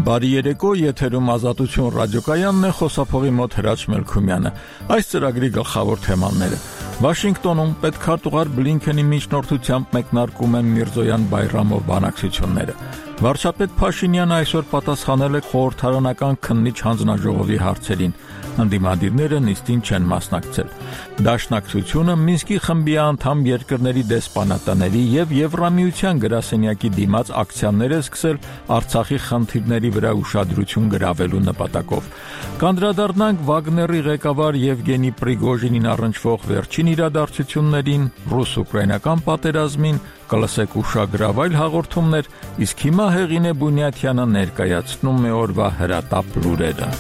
Բարի երեկո, եթերում Ազատություն ռադիոկայանն է, խոսափողի մոտ Հրաչ Մելքումյանը։ Այս ծրագրի գլխավոր թեմաները. Վաշինգտոնում պետքարտուղար Բլինքենի միջնորդությամբ մեկնարկում են Միրզոյան-Բայրամով բանակցությունները։ Վարչապետ Փաշինյանը այսօր պատասխանել է խորհրդարանական քննիչ հանձնաժողովի հարցերին։ Ընդդիմադիրները նիստին չեն մասնակցել։ Դաշնակցությունը Մինսկի խմբի անդամ երկրների դեսպանատների եւ Եվրամիության գրասենյակի դիմաց ակցիաներ է սկսել Արցախի խնդիրների վրա ուշադրություն գրավելու նպատակով։ Կանդրադառնանք Վագների ղեկավար Եվգենի Պրիգոժինին առնչվող վերջին իրադարձություններին, ռուս-ուկրաինական պատերազմին, կլսեք ուշագրավ այլ հաղորդումներ, իսկ հիմա Հեղինե Բունյաթյանը ներկայացնում է օրվա հրատապ լուրերը։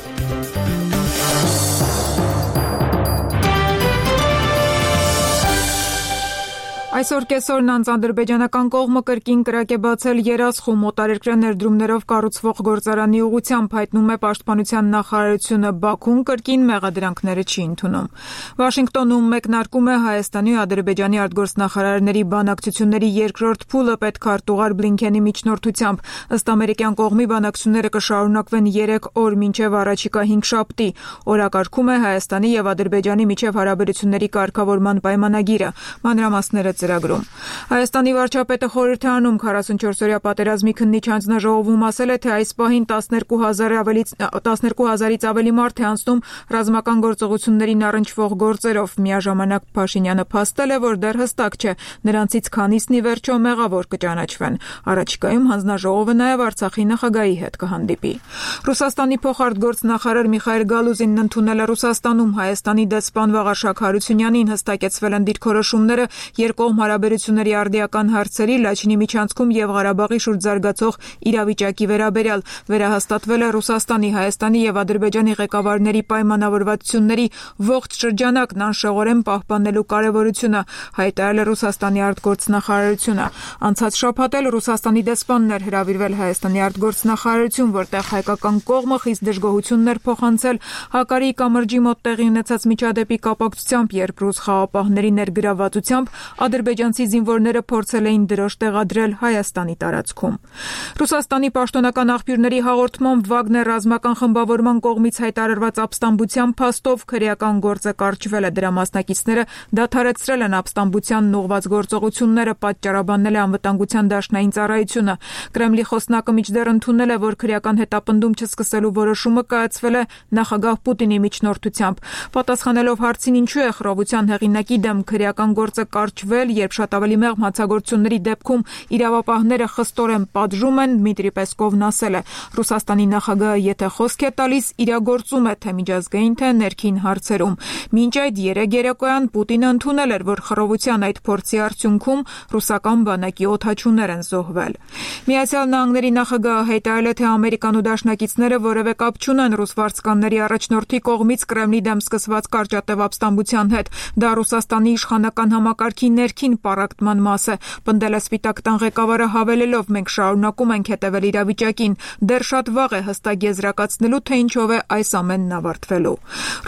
Այսօր կեսօրն ադրբեջանական կողմը կրկին կրակ է բացել երասխու մոտարերկրյա ներդրումներով կառուցվող գործարանի ուղղությամբ, հայտնում է Պաշտպանության նախարարությունը։ Բաքուն կրկին մեղադրանքները չի ընդունում։ Վաշինգտոնում մեկնարկում է Հայաստանի ու Ադրբեջանի արտգործնախարարների բանակցությունների երկրորդ փուլը պետքարտուղար Բլինքենի միջնորդությամբ։ Ըստ ամերիկյան կողմի բանակցությունները կշարունակվեն 3 օր մինչև առաջիկա 5 շաբթի։ Օրակարգում է Հայաստանի եւ Ադրբեջանի միջև հարաբերությունների կարգավորման պայմանագիրը։ Մանրամասները ծրագրում։ Հայաստանի վարչապետը խորհրդարանում 44-օրյա պատերազմի քննիչ հանձնաժողովում ասել է, թե այս պահին 12,000-ից ավելի մարդ է անցնում ռազմական գործողություններին առնչվող գործերով։ Միաժամանակ Փաշինյանը փաստել է, որ դեռ հստակ չէ նրանցից քանիսն ի վերջո մեղավոր կճանաչվեն։ Առաջիկայում հանձնաժողովը նաև Արցախի նախագահի հետ կհանդիպի։ Ռուսաստանի փոխարտգործնախարար Միխայել Գալուզինն ընդունել է Ռուսաստանում Հայաստանի դեսպան Վաղարշակ Հարությունյանին, հստակեցվել են դիրքորոշումները երկկողմ հարաբերությունների արդիական հարցերի, Լաչինի միջանցքում եւ Ղարաբաղի շուրջ զարգացող իրավիճակի վերաբերյալ։ Վերահաստատվել է Ռուսաստանի, Հայաստանի եւ Ադրբեջանի ղեկավարների պայմանավորվածությունների ողջ շրջանակն անշեղորեն պահպանելու կարեւորությունը, հայտարարել է Ռուսաստանի արտգործնախարարությունը։ Անցած շաբաթ էլ Ռուսաստանի դեսպանն էր հրավիրվել Հայաստանի արտգործնախարարություն, որտեղ հայկական կողմը խիստ դժգոհություններ փոխանցել Հակարի կամրջի մոտ տեղի ունեցած միջադեպի կապակցությամբ, երբ ռուս խաղապահների ներգրավվածությամբ ադրբեջանցի զինվորները փորձել էին դրոշ տեղադրել Հայաստանի տարածքում։ Ռուսաստանի պաշտոնական աղբյուրների հաղորդմամբ Վագներ ռազմական խմբավորման կողմից հայտարարված ապստամբության փաստով քրեական գործը կարճվել է։ Դրա մասնակիցները դադարեցրել են ապստամբությանն ուղղված գործողությունները, պատճառաբանել է անվտանգության դաշնային ծառայությունը։ Կրեմլի խոսնակը մինչդեռ ընդունել է, որ քրեական հետապնդում չսկսելու որոշումը կայացվել է նախագահ Պուտինի միջնորդությամբ։ Պատասխանելով հարցին ինչու է խռովության հեղինակի դեմ քրեական գործը կարճվել, երբ շատ ավելի մեղմ հանցագործությունների դեպքում իրավապահները խստորեն պատժում են, Դմիտրի Պեսկովն ասել է. Ռուսաստանի նախագահը եթե խոսք է տալիս, իրագործում է թե միջազգային, թե ներքին հարցերում։ Մինչ այդ երեկոյան Պուտինը ընդունել էր, որ խռովության այդ փորձի արդյունքում ռուսական բանակի օդաչուներ են զոհվել։ Միացյալ Նահանգների նախագահը հայտարարել է, թե Ամերիկան ու դաշնակիցները որևէ կապ չունեն ռուս վարձկանների առաջնորդի կողմից Կրեմլի դեմ սկսված կարճատև ապստամբության հետ։ Դա Ռուսաստանի իշխանական համակարգի ներքին պառակտման մաս է, պնդել է Սպիտակ տան ղեկավարը, հավելելով. մենք շարունակում ենք հետևել իրավիճակին, դեռ շատ վաղ է հստակ եզրակացնելու, թե ինչով է այս ամենն ավարտվելու։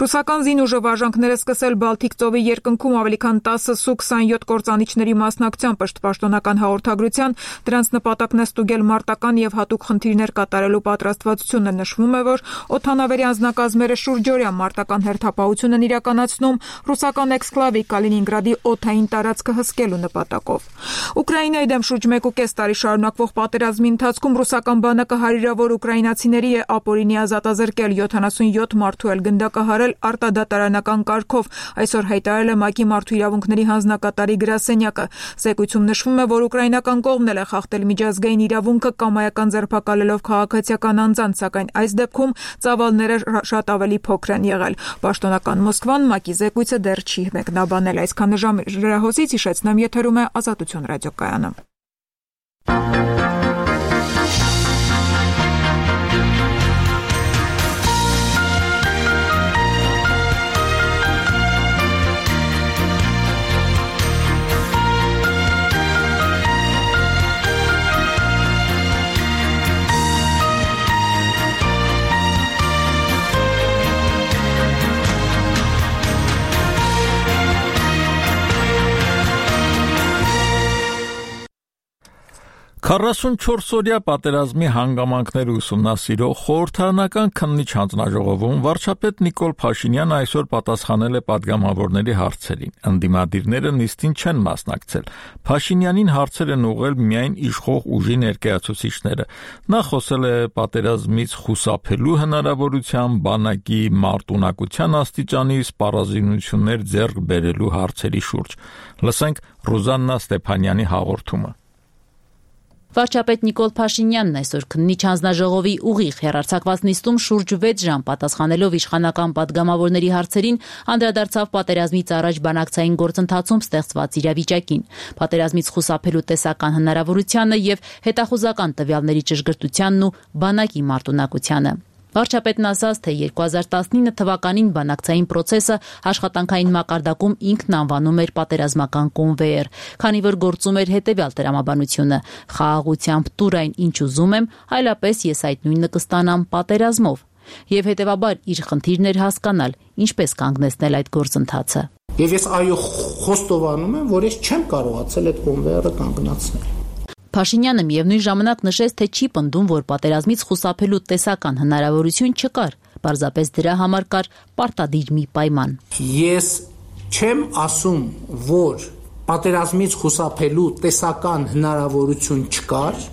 Ռուսական զինուժը վարժանքները սկսել Բալթիկ ծովի երկնքում ավելի քան 10 Սու-27 կործանիչների մասնակցությամբ ըստ պաշտոնական հաղորդագրության, դրանց նպատակն է ստուգել մարտական եւ հատուկ խնդիրներ կատարելու պատրաստվածությունը։ Նշվում է, որ օդանավերի անձնակազմերը շուրջօրյա մարտական հերթապահություն են իրականացնում ռուսական էքսկլավի Կալինինգրադի օդային տարածքը հսկելու նպատակով։ Ուկրաինայի դեմ շուրջ 1.5 տարի շարունակվող պատերազմի ընթացքում ռուսական բանակը հարյուրավոր ուկրաինացիների է ապօրինի ազատազրկել, 77 մարդու էլ գնդակահարել արտադատարանական կարգով, այսօր հայտարարել է ՄԱԿ-ի մարդու իրավունքների հանձնակատարի գրասենյակը։ Զեկույցում նշվում է, որ ուկրաինական կողմն էլ է խախտել միջազգային իրավունքը կամայական ձերբակալելով քաղաքացիական անձանց, սակայն այս դեպքում ծավալները շատ ավելի փոքր են եղել։ Պաշտոնական Մոսկվան ՄԱԿ-ի զեկույցը դեռ չի մեկնաբանել։ Այսքանը ժամերահոսից հիշեցնեմ, եթերում է Ազատություն ռադիոկայանը։ 44-օրյա պատերազմի հանգամանքները ուսումնասիրող խորհրդարանական քննիչ հանձնաժողովում վարչապետ Նիկոլ Փաշինյանը այսօր պատասխանել է պատգամավորների հարցերին։ Ընդդիմադիրները նիստին չեն մասնակցել։ Փաշինյանին հարցեր են ուղղել միայն իշխող ուժի ներկայացուցիչները։ Նա խոսել է պատերազմից խուսափելու հնարավորության, բանակի մարտունակության աստիճանի, սպառազինություններ ձեռք բերելու հարցերի շուրջ։ Լսենք Ռուզաննա Ստեփանյանի հաղորդումը։ Վարչապետ Նիկոլ Փաշինյանն այսօր քննիչ հանձնաժողովի ուղիղ հեռարձակված նիստում շուրջ 6 ժամ պատասխանելով իշխանական պատգամավորների հարցերին անդրադարձավ պատերազմից առաջ բանակցային գործընթացում ստեղծված իրավիճակին, պատերազմից խուսափելու տեսական հնարավորությանը եւ հետախուզական տվյալների ճշգրտությանն ու բանակի մարտունակությանը։ Վարչապետն ասաց, թե 2019 թվականին բանակցային process-ը աշխատանքային մակարդակում ինքն անվանում էր պատերազմական կոնվեյեր, քանի որ գործում էր հետևյալ տրամաբանությունը՝ խաղաղությամբ տուր այն ինչ ուզում եմ, այլապես ես այդ նույնը կստանամ պատերազմով, եւ հետեւաբար իր խնդիրն էր հասկանալ, ինչպես կանգնեցնել այդ գործընթացը։ Եվ ես խոստովանում եմ, որ ես չեմ կարողացել այդ կոնվեյերը կանգնացնել։ Փաշինյանը միևնույն ժամանակ նշեց, թե չի պնդում, որ պատերազմից խուսափելու տեսական հնարավորություն չկար, պարզապես դրա համար կար պարտադիր մի պայման։ Ես չեմ ասում, որ պատերազմից խուսափելու տեսական հնարավորություն չկար,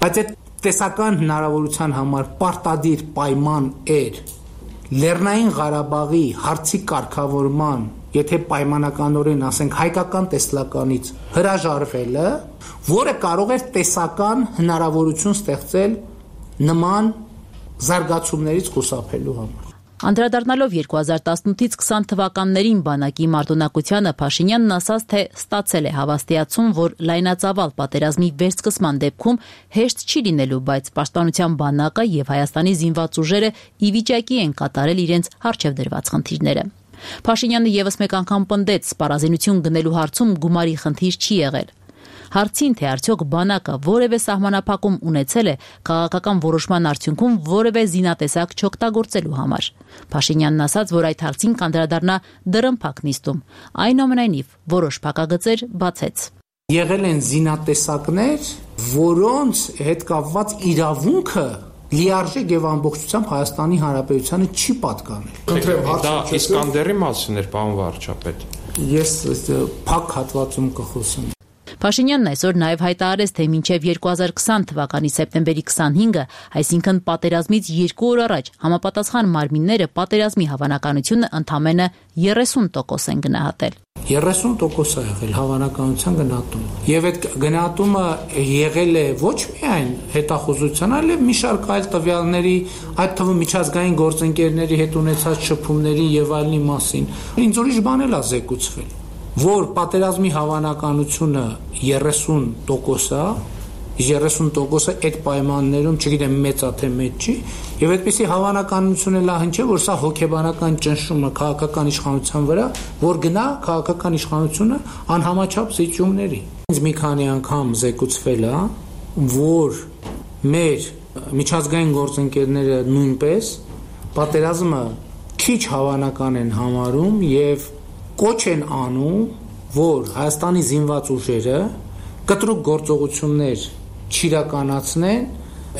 բայց այդ տեսական հնարավորության համար պարտադիր պայման էր Լեռնային Ղարաբաղի հարցի կարգավորման, եթե պայմանականորեն ասենք հայկական տեսլականից հրաժարվելը, որը կարող էր տեսական հնարավորություն ստեղծել նման զարգացումներից խուսափելու համար։ Անդրադառնալով 2018-ից 20 թվականներին բանակի մարտունակությանը Փաշինյանն ասաց, թե ստացել է հավաստիացում, որ լայնածավալ պատերազմի վերսկսման դեպքում հեշտ չի լինելու, բայց պաշտպանության բանակը եւ Հայաստանի զինված ուժերը ի վիճակի են կատարել իրենց առջև դրված խնդիրները։ Փաշինյանը եւս մեկ անգամ պնդեց, սպառազինություն գնելու հարցում գումարի խնդիր չի եղել։ Հարցին, թե արդյոք բանակը որևէ սահմանափակում ունեցել է քաղաքական որոշման արդյունքում որևէ զինատեսակ չօգտագործելու համար։ Փաշինյանն ասաց, որ այդ հարցին կանդրադառնա դռնփակ նիստում։ Այնուամենայնիվ, որոշ փակագծեր բացեց։ Եղել են զինատեսակներ, որոնց հետ կապված իրավունքը լիարժեք եւ ամբողջությամբ Հայաստանի Հանրապետությանը չի պատկանել։ Դա Իսկանդերի մասին էր, պարոն վարչապետ։ Ես փակ հատվածում կխոսեմ։ Փաշինյանն այսօր նաև հայտարարեց, թե մինչև 2020 թվականի սեպտեմբերի 25-ը, այսինքն պատերազմից 2 օր առաջ, համապատասխան մարմինները պատերազմի հավանականությունը ընդամենը 30% են գնահատել։ 30% է եղել հավանականության գնահատումը։ Եվ այդ գնահատումը եղել է ոչ միայն հետախուզության, այլև մի շարք այլ տվյալների, այդ թվում միջազգային գործընկերների հետ ունեցած շփումների եւ այլնի մասին։ Ինձ ուրիշ բան էլ է զեկուցվել, որ պատերազմի հավանականությունը 30% է, 30%-ը այդ պայմաններում, չգիտեմ մեծ է թե մեծ չի, եւ այդպիսի հավանականություն էլ հնչե, որ սա հոգեբանական ճնշումը քաղաքական իշխանության վրա, որ գնա քաղաքական իշխանությունը անհամաչափ զիջումների։ Ինձ մի քանի անգամ զեկուցվել է, որ մեր միջազգային գործընկերները նույնպես պատերազմը քիչ հավանական են համարում եւ կոչ են անում, որ Հայաստանի զինված ուժերը կտրուկ գործողություններ չիրականացնեն,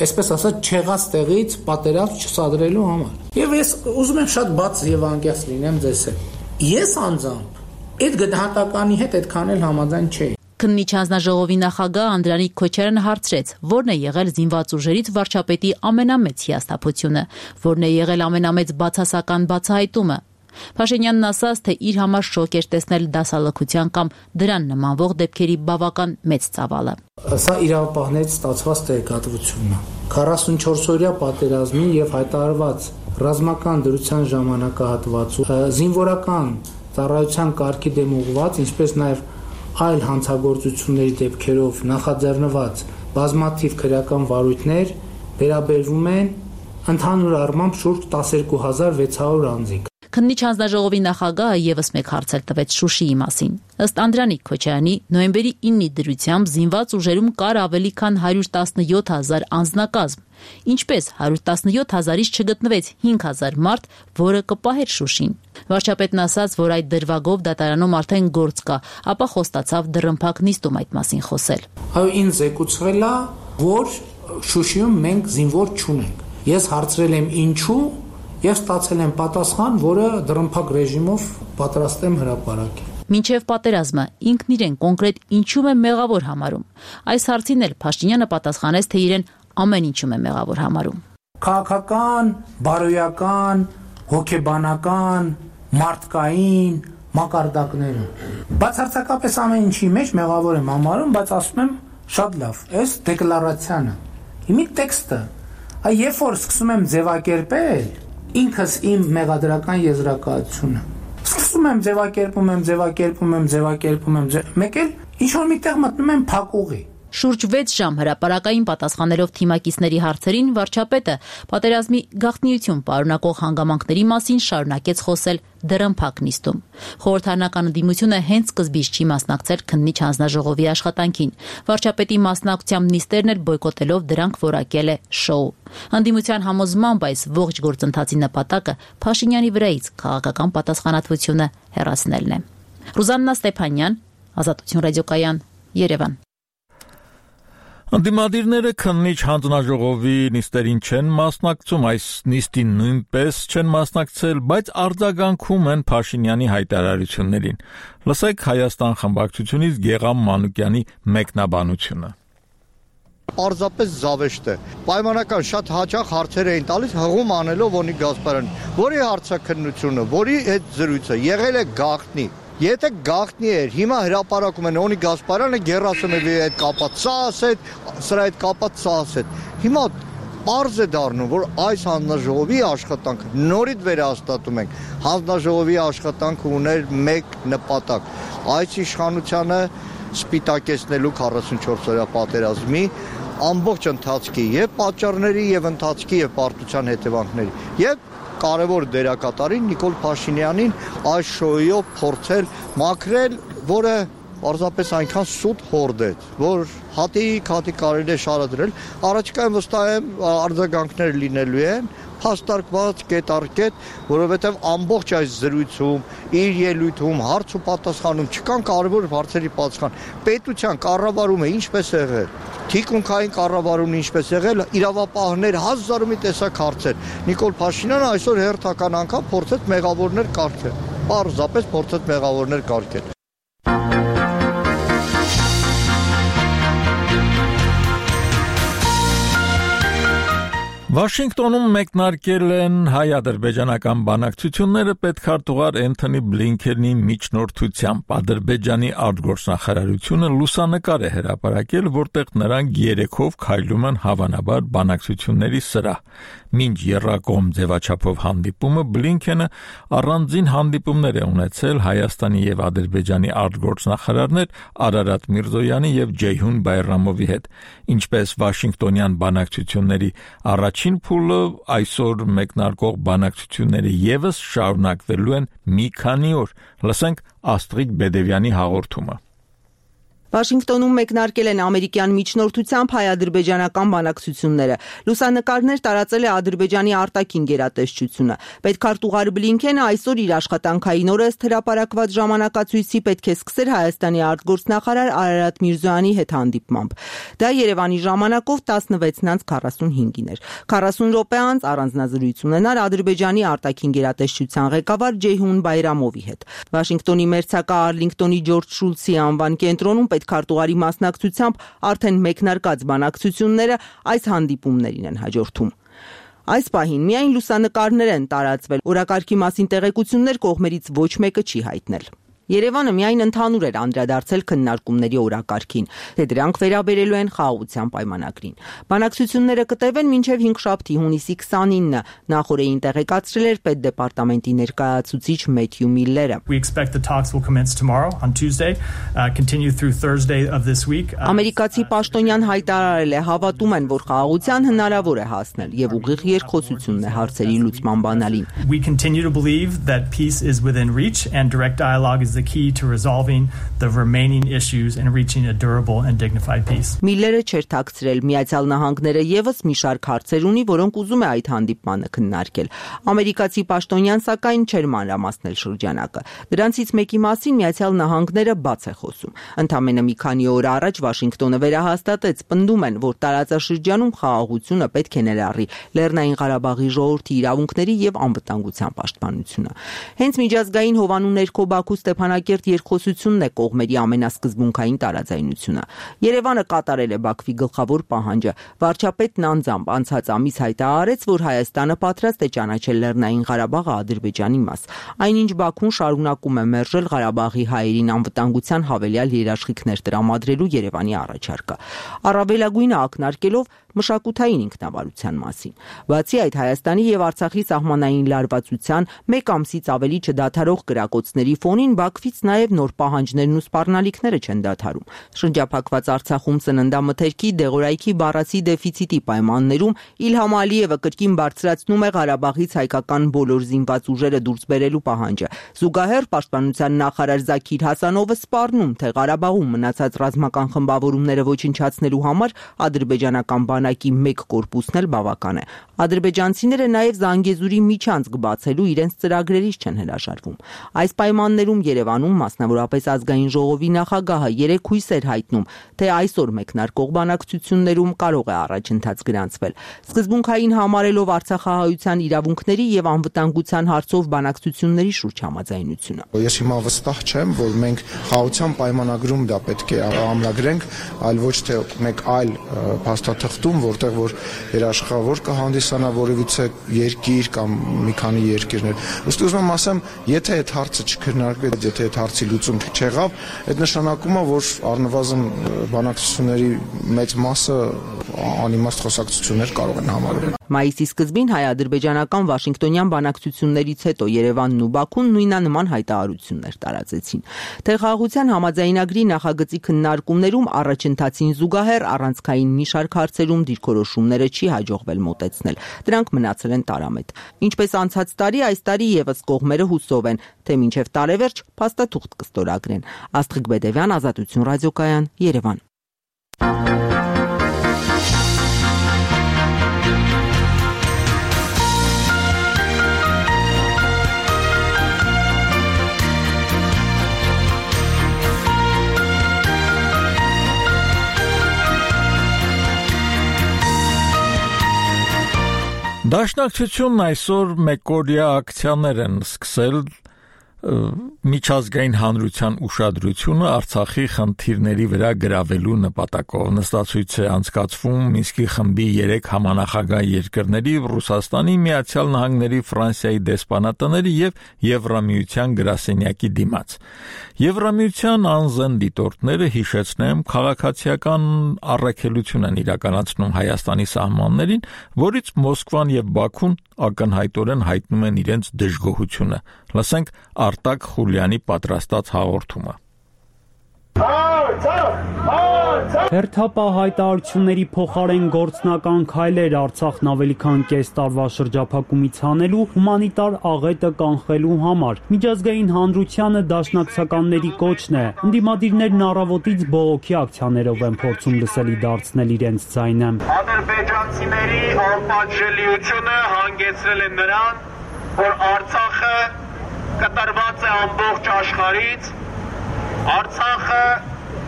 այսպես ասած, չեղած տեղից պատերազմ չսադրելու համար։ Եվ ես ուզում եմ շատ բաց եւ անկեղծ լինեմ ձեզ հետ։ Ես անձամբ այդ գնահատականի հետ այդքան էլ համաձայն չէի։ Քննիչ հանձնաժողովի նախագահ Անդրանիկ Քոչարյանը հարցրեց, որն է եղել զինված ուժերից վարչապետի ամենամեծ հիասթափությունը, որն է եղել ամենամեծ բացասական բացահայտումը։ Փաշինյանն ասաց, թե իր համար շոկ էր տեսնել դասալքության կամ դրան նմանվող դեպքերի բավական մեծ ծավալը։ Սա իրավապահներից ստացված տեղեկատվությունն է։ 44-օրյա պատերազմի եւ հայտարարված ռազմական դրության ժամանակահատվածում զինվորական ծառայության կարգի դեմ ուղղված, ինչպես նաեւ այլ հանցագործությունների դեպքերով նախաձեռնված բազմաթիվ քրեական վարույթներ վերաբերվում են ընդհանուր առմամբ շուրջ 12600 անձի։ Քննիչ հանձնաժողովի նախագահը եւս մեկ հարց տվեց Շուշիի մասին։ Ըստ Անդրանիկ Քոչարյանի, նոյեմբերի 9-ի դրությամբ զինված ուժերում կար ավելի քան 117,000 անձնակազմ, ինչպես 117,000-ից չգտնվեց 5,000 մարդ, որը կպահեր Շուշին։ Վարչապետն ասաց, որ այդ դրվագով դատարանում արդեն գործ կա, ապա խոստացավ դռնփակ նիստում այդ մասին խոսել։ Այո, ինձ եկուցվել է, որ Շուշիում մենք զինվոր չունենք։ Ես հարցրել եմ ինչու եւ ստացել եմ պատասխան, որը դռնփակ ռեժիմով պատրաստ եմ հրապարակել։ Մինչև պատերազմը ինքն իրեն կոնկրետ ինչու է մեղավոր համարում։ Այս հարցին էլ Փաշինյանը պատասխանեց, թե իրեն ամեն ինչում է մեղավոր համարում։ Քաղաքական, բարոյական, հոգեբանական, մարդկային մակարդակները։ Բացարձակապես ամեն ինչի մեջ մեղավոր եմ համարում, բայց ասում եմ շատ լավ, այս դեկլարացիանը, իմի տեքստը, երբ որ սկսում եմ ձևակերպել ինքս իմ մեղադրական եզրակացությունը, սկսում եմ ձևակերպում եմ, մեկ էլ ինչ-որ միտեղ մտնում եմ փակուղի։ Շուրջ 6 ժամ հրապարակային պատասխանելով թիմակիցների հարցերին վարչապետը պատերազմի գաղտնիություն պարունակող հանգամանքների մասին շարունակեց խոսել դռնփակ նիստում։ Խորհրդարանական ընդդիմությունը հենց սկզբից չի մասնակցել քննիչ հանձնաժողովի աշխատանքին։ Վարչապետի մասնակցությամբ նիստերն էլ բոյկոտելով դրանք որակել է շոու։ Ընդդիմության համոզմամբ այս ողջ գործընթացի նպատակը Փաշինյանի վրայից քաղաքական պատասխանատվությունը հեռացնելն է։ Ռուզաննա Ստեփանյան, Ազատություն ռադիոկայան, Երևան։ Անդիմադիրները քննիչ հանձնաժողովի նիստերին չեն մասնակցում, այս նիստին նույնպես չեն մասնակցել, բայց արձագանքում են Փաշինյանի հայտարարություններին։ Լսեք Հայաստան խմբակցությունից Գեգամ Մանուկյանի մեկնաբանությունը։ Պարզապես զավեշտ է։ Պայմանական շատ հաճախ հարցեր էին տալիս հղում անելով Օնիկ Գասպարյան, որի հարցաքննությունը, որի հետ զրույցը եղել է գաղտնի։ Եթե գաղտնի էր, հիմա հրապարակում են Օնիկ Գասպարյանը Գերասիմովի հետ կապած, սա ասեց, սրա հետ կապած, սա ասեց։ Հիմա պարզ է դառնում, որ այս հանձնաժողովի աշխատանքը նորից վերահաստատում ենք։ Հանձնաժողովի աշխատանքը ուներ մեկ նպատակ՝ այս իշխանությանը սպիտակեցնելու 44-օրյա պատերազմի ամբողջ ընթացքի եւ պատճառների եւ ընթացքի եւ պարտության հետևանքների եւ կարևոր դերակատարին Նիկոլ Փաշինյանին այս շոուով փորձել մաքրել, որը պարզապես այնքան սուտ հորդեց, որ հատիկ կարելի է շարադրել, առաջիկայում վստահ եմ արձագանքներ լինելու են, փաստարկված կետ առ կետ, որովհետև ամբողջ այս զրույցում, իր ելույթում, հարց ու պատասխանում չկան կարևոր հարցերի պատասխան։ Պետության կառավարումը ինչպես եղել, թիկունքային կառավարումն ինչպես եղել, իրավապահներ հազար ու մի տեսակ հարցեր։ Նիկոլ Փաշինյանը այսօր հերթական անգամ փորձեց մեղավորներ կարգել։ Պարզապես փորձեց մեղավորներ կարգել։ Վաշինգտոնում մեկնարկել են հայ-ադրբեջանական բանակցությունները պետքարտուղար Էնթոնի Բլինքենի միջնորդությամբ։ Ադրբեջանի արտգործնախարարությունը լուսանկար է հրապարակել, որտեղ նրանք երեքով քայլում են հավանաբար բանակցությունների սրահ։ Մինչ եռակողմ ձևաչափով հանդիպումը Բլինքենը առանձին հանդիպումներ է ունեցել Հայաստանի եւ Ադրբեջանի արտգործնախարարներ Արարատ Միրզոյանի եւ Ջեյհուն Բայրամովի հետ, ինչպես Վաշինգտոնյան բանակցությունների առաջին փուլը այսօր մեկնարկող բանակցությունները եւս շարունակվելու են մի քանի օր։ Լսենք Աստրիկ Բեդևյանի հաղորդումը։ Վաշինգտոնում մեկնարկել են ամերիկյան միջնորդությամբ հայ-ադրբեջանական բանակցությունները։ Լուսանկարներ տարածել է Ադրբեջանի արտաքին գերատեսչությունը։ Պետքարտուղար Բլինքենը այսօր իր աշխատանքային օրը ըստ հրապարակված ժամանակացույցի պետք է սկսեր Հայաստանի արտգործնախարար Արարատ Միրզոյանի հետ հանդիպմամբ։ Դա Երևանի ժամանակով 16:45-ին էր։ 40 րոպե անց առանձնազրույց ունենալ Ադրբեջանի արտաքին գերատեսչության ղեկավար Ջեյհուն Բայրամովի հետ։ Վաշինգտոնի մերձակա Արլինգտոնի Ջորջ Շուլցի անվան կենտրոնում պետքարտուղարի մասնակցությամբ արդեն մեկնարկած բանակցությունները այս հանդիպումներին են հաջորդում։ Այս պահին միայն լուսանկարներ են տարածվել, օրակարգի մասին տեղեկություններ կողմերից ոչ մեկը չի հայտնել։ Երևանը միայն ընդհանուր էր անդրադարձել քննարկումների օրակարգին, թե դրանք վերաբերելու են խաղաղության պայմանագրին։ Բանակցությունները կտևեն մինչև 5շաբթի հունիսի 29-ը, նախորդին տեղեկացրել էր պետդեպարտամենտի ներկայացուցիչ Մեթյու Միլլերը։ Ամերիկացի պաշտոնյան հայտարարել է, հավատում են, որ խաղաղության հնարավոր է հասնել եւ ուղիղ երկխոսությունն է հարցերի լուծման բանալին։ The key to resolving the remaining issues and reaching a durable and dignified peace. Միլլերը չէր թաքցրել, Միացյալ Նահանգները եւս մի շարք հարցեր ունի, որոնք ուզում է այդ հանդիպմանը քննարկել։ Ամերիկացի պաշտոնյան սակայն չէր մանրամասնել շրջանակը։ Դրանցից մեկի մասին Միացյալ Նահանգները բաց է խոսում։ Ընդամենը մի քանի օր առաջ Վաշինգտոնը վերահաստատեց, պնդում են, որ տարածաշրջանում խաղաղությունը պետք է ներառի Լեռնային Ղարաբաղի ժողովրդի իրավունքների եւ անվտանգության պաշտպանությունը։ Հենց միջազգային հովանու ներքո Բաքու Ստեփանակերտ երկխոսությունն է կողմերի ամենասկզբունքային տարաձայնությունը։ Երևանը կատարել է Բաքվի գլխավոր պահանջը։ Վարչապետն անձամբ անցած ամիս հայտարարեց, որ Հայաստանը պատրաստ է ճանաչել Լեռնային Ղարաբաղը Ադրբեջանի մաս։ Այնինչ Բաքուն շարունակում է մերժել Ղարաբաղի հայերին անվտանգության հավելյալ երաշխիքներ տրամադրելու Երևանի առաջարկը, առավելագույնը ակնարկելով մշակութային ինքնավարության մասին։ Բացի այդ, Հայաստանի եւ Արցախի սահմանային լարվածության մեկ ամսից ավելի չդադարող կրակոցների ֆոնին Բաքվից նաեւ նոր պահանջներն ու սպառնալիքները չեն դադարում։ Շրջափակված Արցախում սննդամթերքի, դեղորայքի բառացի դեֆիցիտի պայմաններում Իլհամ Ալիևը կրկին բարձրացնում է Ղարաբաղից հայկական բոլոր զինված ուժերը դուրս բերելու պահանջը։ Զուգահեռ պաշտպանության նախարար Զաքիր Հասանովը սպառնում, թե Ղարաբաղում մնացած ռազմական խմբավորումները ոչնչացնելու համար ադրբեջանական բանակի մեկ կորպուսն էլ բավական է։ Ադրբեջանցիները նաև Զանգեզուրի միջանցք բացելու իրենց ծրագրերից չեն հրաժարվում։ Այս պայմաններում Երևանում, մասնավորապես ազգային ժողովի նախագահը երեք հույս էր հայտնում, թե այսօր մեկնարկող բանակցություններում կարող է առաջընթաց գրանցվել։ Սկզբունքային համարելով Արցախահայության իրավունքների եւ անվտանգության հարցով բանակցությունների շուրջ համաձայնությունը։ Ես հիմա վստահ չեմ, որ մենք խաղաղության պայմանագրում դա պետք է ամրագրենք, այլ ոչ թե մեկ այլ փաստաթղթում, որտեղ որ երաշխավոր կհանդիսանա որևիցե երկիր կամ մի քանի երկիրներ։ Ըստ ուզում եմ ասեմ, եթե այդ հարցը չքննարկվեց, եթե այդ հարցի լուծում չեղավ, այդ նշանակում է, որ առնվազն բանակցությունների մեծ մասը անիմաստ խոսակցություններ կարող են համարվել։ Մայիսի սկզբին հայ-ադրբեջանական Վաշինգտոնյան բանակցություններից հետո Երևանն ու Բաքուն նույնանման հայտարարություններ տարածեցին։ Թե խաղաղության համաձայնագրի նախագծի քննարկումներում առաջընթացին զուգահեռ առանցքային մի շարք հարցերում դիրքորոշումները չի հաջողվել մոտեցնել։ Դրանք մնացել են տարամետ։ Ինչպես անցած տարի, այս տարի եւս կողմերը հուսով են, թե մինչև տարեվերջ փաստաթուղթ կստորագրեն։ Աստղիկ Բեդևյան, Ազատություն ռադիոկայան, Երևան։ Դաշնակցությունն այսօր մեկօրյա ակցիաներ են սկսել միջազգային հանրության ուշադրությունը Արցախի խնդիրների վրա գրավելու նպատակով։ Նստացույց է անցկացվում Մինսկի խմբի 3 համանախագահ երկրների՝ Ռուսաստանի, Միացյալ Նահանգների, Ֆրանսիայի դեսպանատների եւ Եվրամիության գրասենյակի դիմաց։ Եվրամիության անզեն դիտորդները, հիշեցնեմ, քաղաքացիական առաքելություն են իրականացնում Հայաստանի սահմաններին, որից Մոսկվան եւ Բաքուն ակնհայտորեն հայտնում են իրենց դժգոհությունը։ Լսենք Արտակ Խուլյանի պատրաստած հաղորդումը։ Հերթապահ հայտարարությունների փոխարեն գործնական քայլեր Արցախն ավելի քան կես տարվա շրջափակումից հանելու, հումանիտար աղետը կանխելու համար։ Միջազգային հանրությանը դաշնակցականների կոչն է։ Ընդդիմադիրներն առավոտից բողոքի ակցիաներով են փորձում լսելի դարձնել իրենց ձայնը։ Ադրբեջանցիների անպատժելիությունը հանգեցրել է նրան, որ Արցախը կտրված է ամբողջ աշխարհից, Արցախը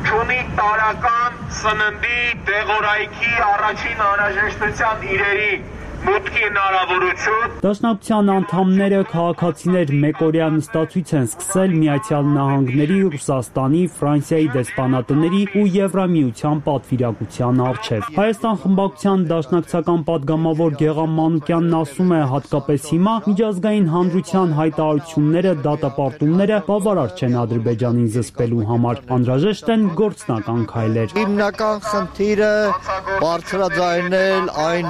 չունի տարական սննդի, դեղորայքի, առաջին անհրաժեշտության իրերի մուտքի հնարավորություն։ Դաշնակցության անդամները քաղաքացիներ մեկօրյա նստածույց են սկսել Միացյալ Նահանգների, Ռուսաստանի, Ֆրանսիայի դեսպանատների ու Եվրամիության պատվիրակության առջև։ Հայաստան խմբակցության դաշնակցական падգամավոր Գեղամ Մանուկյանն ասում է, հատկապես հիմա միջազգային հանրության հայտարարությունները, դատապարտումները բավարար չեն Ադրբեջանին զսպելու համար, անհրաժեշտ են գործնական քայլեր։ Հիմնական խնդիրը բարձրաձայնել այն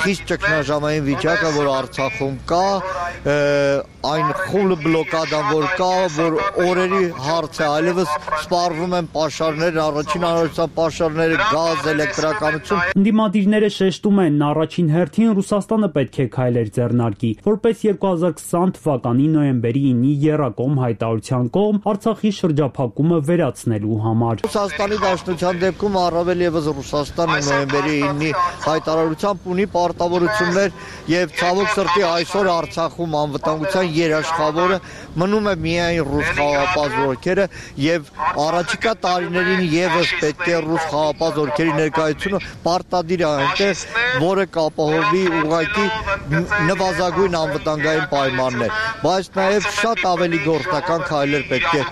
խիստ ճգնաժամային վիճակը, որ Արցախում կա, այն խուլ բլոկադան, որ կա, որ օրերի հարց է, այլևս սպառվում են պաշարներ, առաջին անհրաժեշտության պաշարները, գազ, էլեկտրականություն։ Ընդդիմադիրները շեշտում են, առաջին հերթին Ռուսաստանը պետք է քայլեր ձեռնարկի, որպես 2020 թվականի նոյեմբերի 9-ի եռակողմ հայտարարության կողմ Արցախի շրջափակումը վերացնելու համար։ Ռուսաստանի Դաշնության դեպքում առավել եւս Ռուսաստանը նոյեմբերի 9-ի հայտարարությամբ ունի պարտավորություններ եւ ցավոք սրտի այսօր Արցախում անվտանգության երաշխավորը մնում է միայն ռուս խաղաղապահ զորքերը եւ առաջիկա տարիներին եւս պետք է ռուս խաղաղապահ զորքերի ներկայությունը պարտադիր է այնտեղ, որը կապահովի ուղղակի նվազագույն անվտանգային պայմաններ, բայց նաեւ շատ ավելի գործնական քայլեր պետք է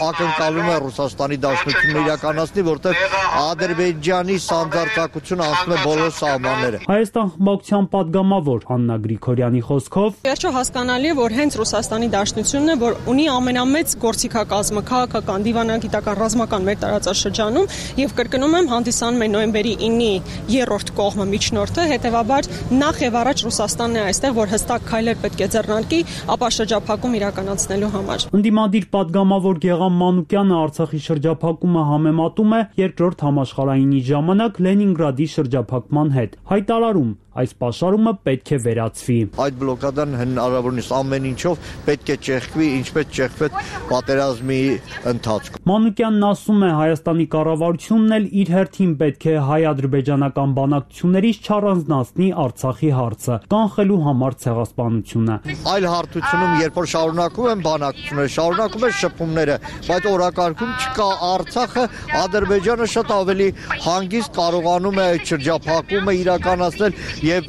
ակնկալում է Ռուսաստանի Դաշնությունը իրականացնի, որտեղ Ադրբեջանի սանձարձակությունը անցնում է բոլոր սահմանները։ Հայաստան խմբակցության падգամավոր Աննա Գրիգորյանի խոսքով Վերջո հասկանալի է, որ հենց Ռուսաստանի Դաշնությունն է, որ ունի ամենամեծ գործիքակազմը, քաղաքական, դիվանագիտական, ռազմական մեր տարածաշրջանում եւ կրկնում եմ, հանդիսանում է նոյեմբերի 9-ի երրորդ կողմը միջնորդը, հետեւաբար նախ եւ առաջ Ռուսաստանն է այստեղ, որ հստակ քայլեր պետք է ձեռնարկի, ապա շրջափակում իրականացնելու համար։ Ընդդիմադիր падգամավոր Գեղամ Մանուկյանը Արցախի շրջափակումը համեմատում է Երկրորդ համաշխարհայինի ժամանակ Լենինգրադի շրջափակման հետ, հայտարարում այս պաշարումը պետք է վերացվի։ Այդ բլոկադան հնարավորինս ամեն ինչով պետք է ճեղքվի, ինչպես ճեղքվեց պատերազմի ընթացքում։ Մանուկյանն ասում է, Հայաստանի կառավարությունն էլ իր հերթին պետք է հայ-ադրբեջանական բանակցություններից չառանձնացնի Արցախի հարցը, կանխելու համար ցեղասպանությունը։ Այլ հարթությունում, երբ որ շարունակում են բանակցությունները, շարունակում են շփումները, բայց օրակարգում չկա Արցախը, Ադրբեջանը շատ ավելի հանգիստ կարողանում է այդ շրջափակումը իրականացնել եւ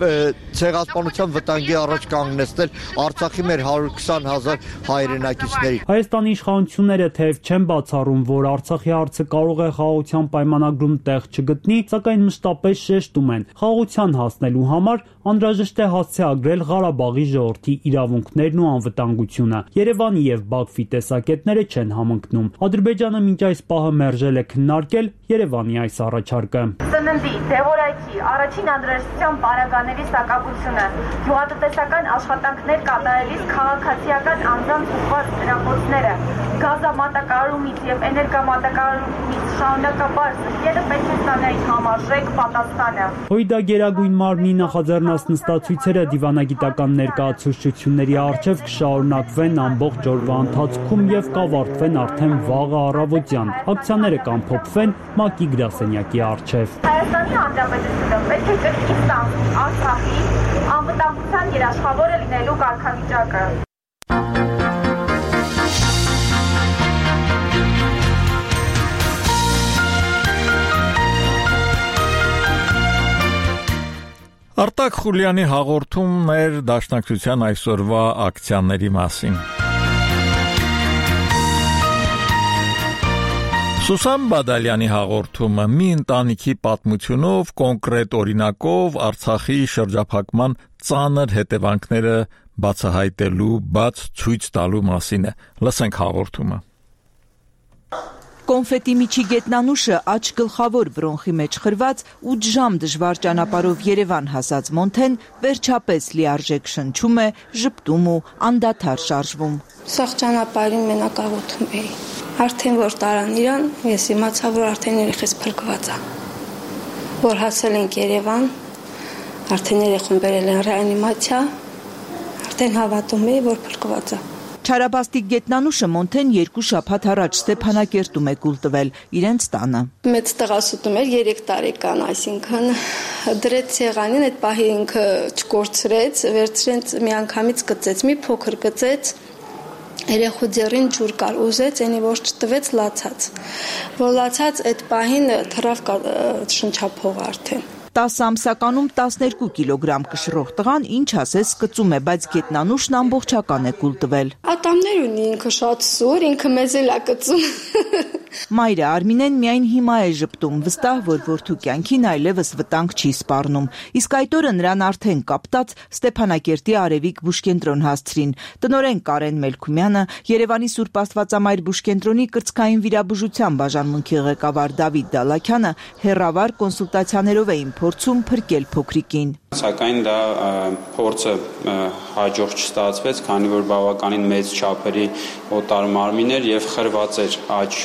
ցեղասպանության վտանգի առաջ կանգնեցնել Արցախի մեր 120,000 հայրենակիցների։ Հայաստանի իշխանությունները թեև չեն բացառում, որ Արցախի հարցը կարող է խաղաղության պայմանագրում տեղ չգտնի, սակայն մշտապես շեշտում են, խաղաղության հասնելու համար անհրաժեշտ է հասցեագրել Ղարաբաղի ժողովրդի իրավունքներն ու անվտանգությունը։ Երևանի եւ Բաքվի տեսակետները չեն համընկնում։ Ադրբեջանը մինչ այս պահը մերժել է քննարկել Երևանի այս առաջարկը։ Սննդի, դեղորայքի, առաջին անհրաժեշտության պարագաների սակավությունը, գյուղատնտեսական աշխատանքներ կատարելիս քաղաքացիական անձանց ուղղված դրախոսները, գազամատակարարումից եւ էներգամատակարարումից շարունակաբար զրկելը պետք է ստանային համարժեք պատասխանը։ ՀՅԴ Գերագույն մարմնի նախաձեռնած նստածույցերը դիվանագիտական ներկայացուցչությունների առջև կշարունակվեն ամբողջ օրվա ընթացքում եւ կավարտվեն արդեն վաղը առավոտյան։ Ակցիաները կամփոփվեն ՄԱԿ-ի գրասենյակի առջև։ Հայաստանի Հանրապետությունը պետք է կրկին ստանձնի Արցախի անվտանգության երաշխավորը լինելու կարգավիճակը։ Արտակ Խուլյանի հաղորդումն էր Դաշնակցության այսօրվա ակցիաների մասին։ Սուսան Բադալյանի հաղորդումը մի ընտանիքի պատմությունով, կոնկրետ օրինակով Արցախի շրջափակման ծանր հետևանքները բացահայտելու, բաց ցույց տալու մասին է։ Լսենք հաղորդումը։ Կոնֆետի միջի գետնանուշը աջ գլխավոր բրոնխի մեջ խրված 8 ժամ դժվար ճանապարհով Երևան հասած Մոնթեն վերջապես լիարժեք շնչում է, ժպտում ու անդադար շարժվում։ Սաղ ճանապարհին մենակ աղոթում էի։ Արդեն որ տարան իրան, ես իմացա, որ արդեն երեխես փրկված է։ Որ հասել ենք Երևան, արդեն երեխուն բերել են ռեանիմացիա, արդեն հավատում էի, որ փրկված է։ Չարաբաստիկ գետնանուշը Մոնթեն 2 շաբաթ առաջ Ստեփանակերտում է կուլ տվել իրենց տանը։ Մեծ տղասուտում էր 3 տարեկան, այսինքն դրեց սեղանին, այդ պահի ինքը չկորցրեց, վերցրեց միանգամից գծեց, մի փոքր գծեց, երեխու ձեռին ջուր կար, ուզեց, այնի որ չտվեց, լացած։ Որ լացած այդ պահին թռավ շնչափողը արդեն։ 10 ամսականում 12 կիլոգրամ կշռող տղան ինչ ասես կծում է, բայց Գետնանուշն ամբողջական է կուլ տվել։ Ատամներ ունի, ինքը շատ սուր, ինքը մեզ էլ է կծում։ Մայրը Արմինեն միայն հիմա է ժպտում, վստահ, որ որդու կյանքին այլևս վտանգ չի սպառնում։ Իսկ այդ օրը նրան արդեն կապտած Ստեփանակերտի Արևիկ բուժկենտրոն հասցրին։ Տնօրեն Կարեն Մելքումյանը, Երևանի Սուրբ Աստվածամայր բուժկենտրոնի կրծքային վիրաբուժության բաժանմունքի ղեկավար Դավիթ Դալաքյանը հեռավար կոնսուլտացիաներով էին փորձում փրկել փոքրիկին։ Սակայն դա փորձը հաջող չստացվեց, քանի որ բավականին մեծ չափերի օտար մարմին էր եւ խրված էր աջ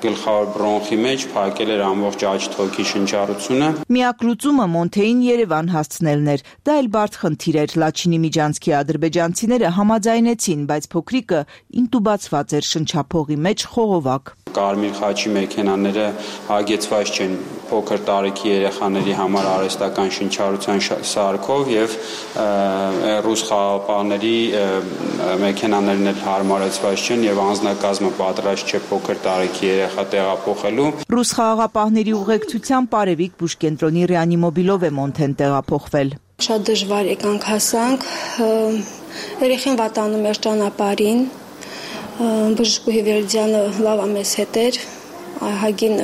գլխավոր բրոնխի մեջ, փակել էր ամբողջ աջ թոքի շնչառությունը։ Միակ լուծումը Մոնթեին Երևան հասցնելն էր։ Դա էլ բարդ խնդիր էր։ Լաչինի Միջանցքի ադրբեջանցիները համաձայնեցին, բայց փոքրիկը ինտուբացված էր շնչափողի մեջ խողովակ։ Կարմիր խաչի մեքենաները հագեցված չեն փոքր տարիքի երեխաների համար արհեստական շնչառության սարքով եւ ռուս խաղապահների մեքենաներն էլ հարմարեցված չեն եւ անձնակազմը պատրաստ չէ փոքր տարիքի երեխա տեղափոխելու։ Ռուս խաղապահների ուղեկցությամբ Արևիկ բուժկենտրոնի ռեանիմոբիլով է Մոնթեն տեղափոխվել։ Շատ դժվար եկանք հասանք, երեխին վատանում էր ճանապարհին, բժշկուհի Վերդյանը լավ մեզ հետ էր, Հագին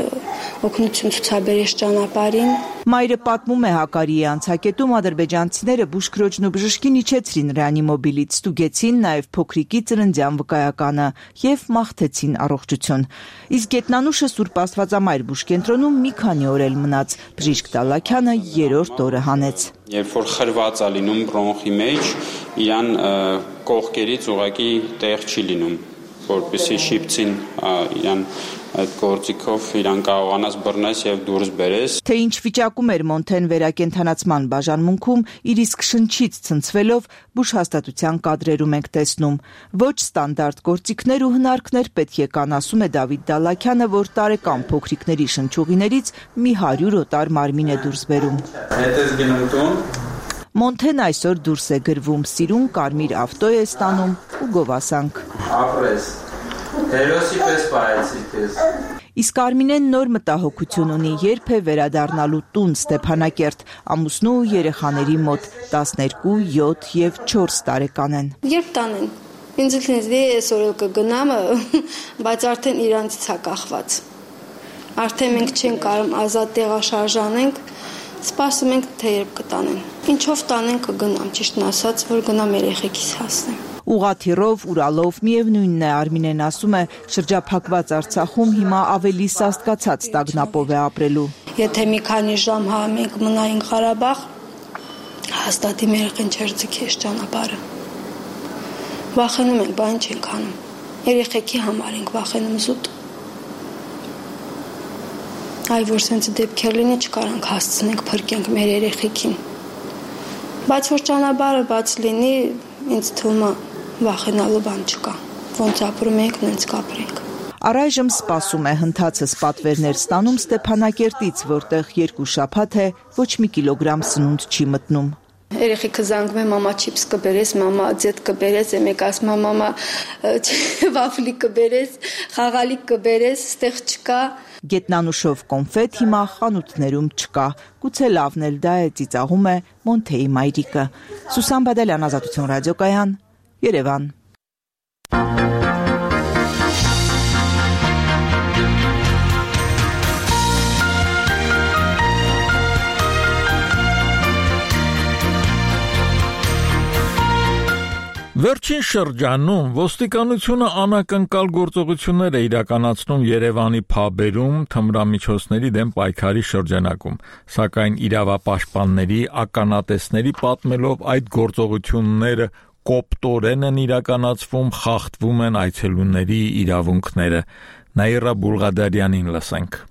օգնություն ցուցաբերեց ճանապարհին։ Մայրը պատմում է Հակարիի անցակետում ադրբեջանցիները բուժքրոջն ու բժշկին իջեցրին ռեանիմոբիլից, ստուգեցին նաև փոքրիկի ծննդյան վկայականը եւ մաղթեցին առողջություն։ Իսկ Գետնանուշը Սուրբ Աստվածամայր բուժկենտրոնում մի քանի օր էլ մնաց։ Բժիշկ Դալաքյանը 3-րդ օրը հանեց։ Երբ որ խրված է լինում բրոնխի մեջ, իրան կողքերից ուղղակի տեղ չի լինում, որպեսզի շիպցին իրան այդ գործիքով իրան կարողանաս բռնես եւ դուրս բերես։ Թե ինչ վիճակում էր Մոնթեն վերակենդանացման բաժանմունքում, իր իսկ շնչից ցնցվելով բուժհաստատության կադրերում ենք տեսնում։ Ոչ ստանդարտ գործիքներ ու հնարքներ պետք է կան, ասում է Դավիթ Դալաքյանը, որ տարեկան փոքրիկների շնչուղիներից մի 100 օտար մարմին է դուրս բերում։ Հետ ես գնում տուն։ Մոնթեն այսօր դուրս է գրվում, սիրուն կարմիր ավտո է ստանում ու գովասանք։ Ապրես։ Հերոսի պես պայեցի քեզ։ Իսկ Արմինեն նոր մտահոգություն ունի, երբ է վերադառնալու տուն Ստեփանակերտ, ամուսնու ու երեխաների մոտ 12, 7 եւ 4 տարեկան են։ Երբ տանեն։ Ինձ ինձ այսօր կգնամ, բայց արդեն իրանցից է կախված։ Արդեն մենք չենք կարող ազատ տեղաշարժանենք, սպասում ենք թե երբ կտանեն։ Ինչով տանեն կգնամ, ճիշտն ասած, որ գնամ երեխեքիս հասնեմ։ Ուղաթիռով, Ուրալով միևնույնն է, Արմինեն ասում է, շրջափակված Արցախում հիմա ավելի սաստկացած տագնապով է ապրելու։ Եթե մի քանի ժամ մենք մնայինք Ղարաբաղ, հաստատ իմ երեխեն չէր ձգի ճանապարհը։ Վախենում ենք, բան չենք անում։ Երեխեքի համար ենք վախենում զուտ։ Այ որ սենց դեպքեր լինի չկարանք հասցնենք փրկենք մեր երեխեքին։ Բայց որ ճանապարհը բաց լինի, ինձ թվում է վախենալու բան չկա։ Ոնց ապրում ենք, նենց կապրենք։ Առայժմ սպասում է, հնդածս պատվերներ ստանում Ստեփանակերտից, որտեղ 2 շաբաթ է ոչ մի կիլոգրամ սնունդ չի մտնում։ Երեխեքը զանգում է մամա չիպս կբերես, մամա ձետ կբերես, մեկ ասում է մամա վաֆլի կբերես, խաղալիք կբերես, ստեղ չկա։ Գետնանուշով կոնֆետ հիմա խանութներում չկա։ Գուցե լավն էլ դա է, ծիծաղում է Մոնթեի մայրիկը։ Սուսան Բադալյան, Ազատություն ռադիոկայան, Երևան։ Վերջին շրջանում ոստիկանությունը անակնկալ գործողություններ է իրականացնում Երևանի փաբերում թմրամիջոցների դեմ պայքարի շրջանակում, սակայն իրավապաշտպանների ականատեսների պատմելով այդ գործողությունները կոպտորեն են իրականացվում, խախտվում են այցելուների իրավունքները։ Նաիրա Բուլղադարյանին լսենք։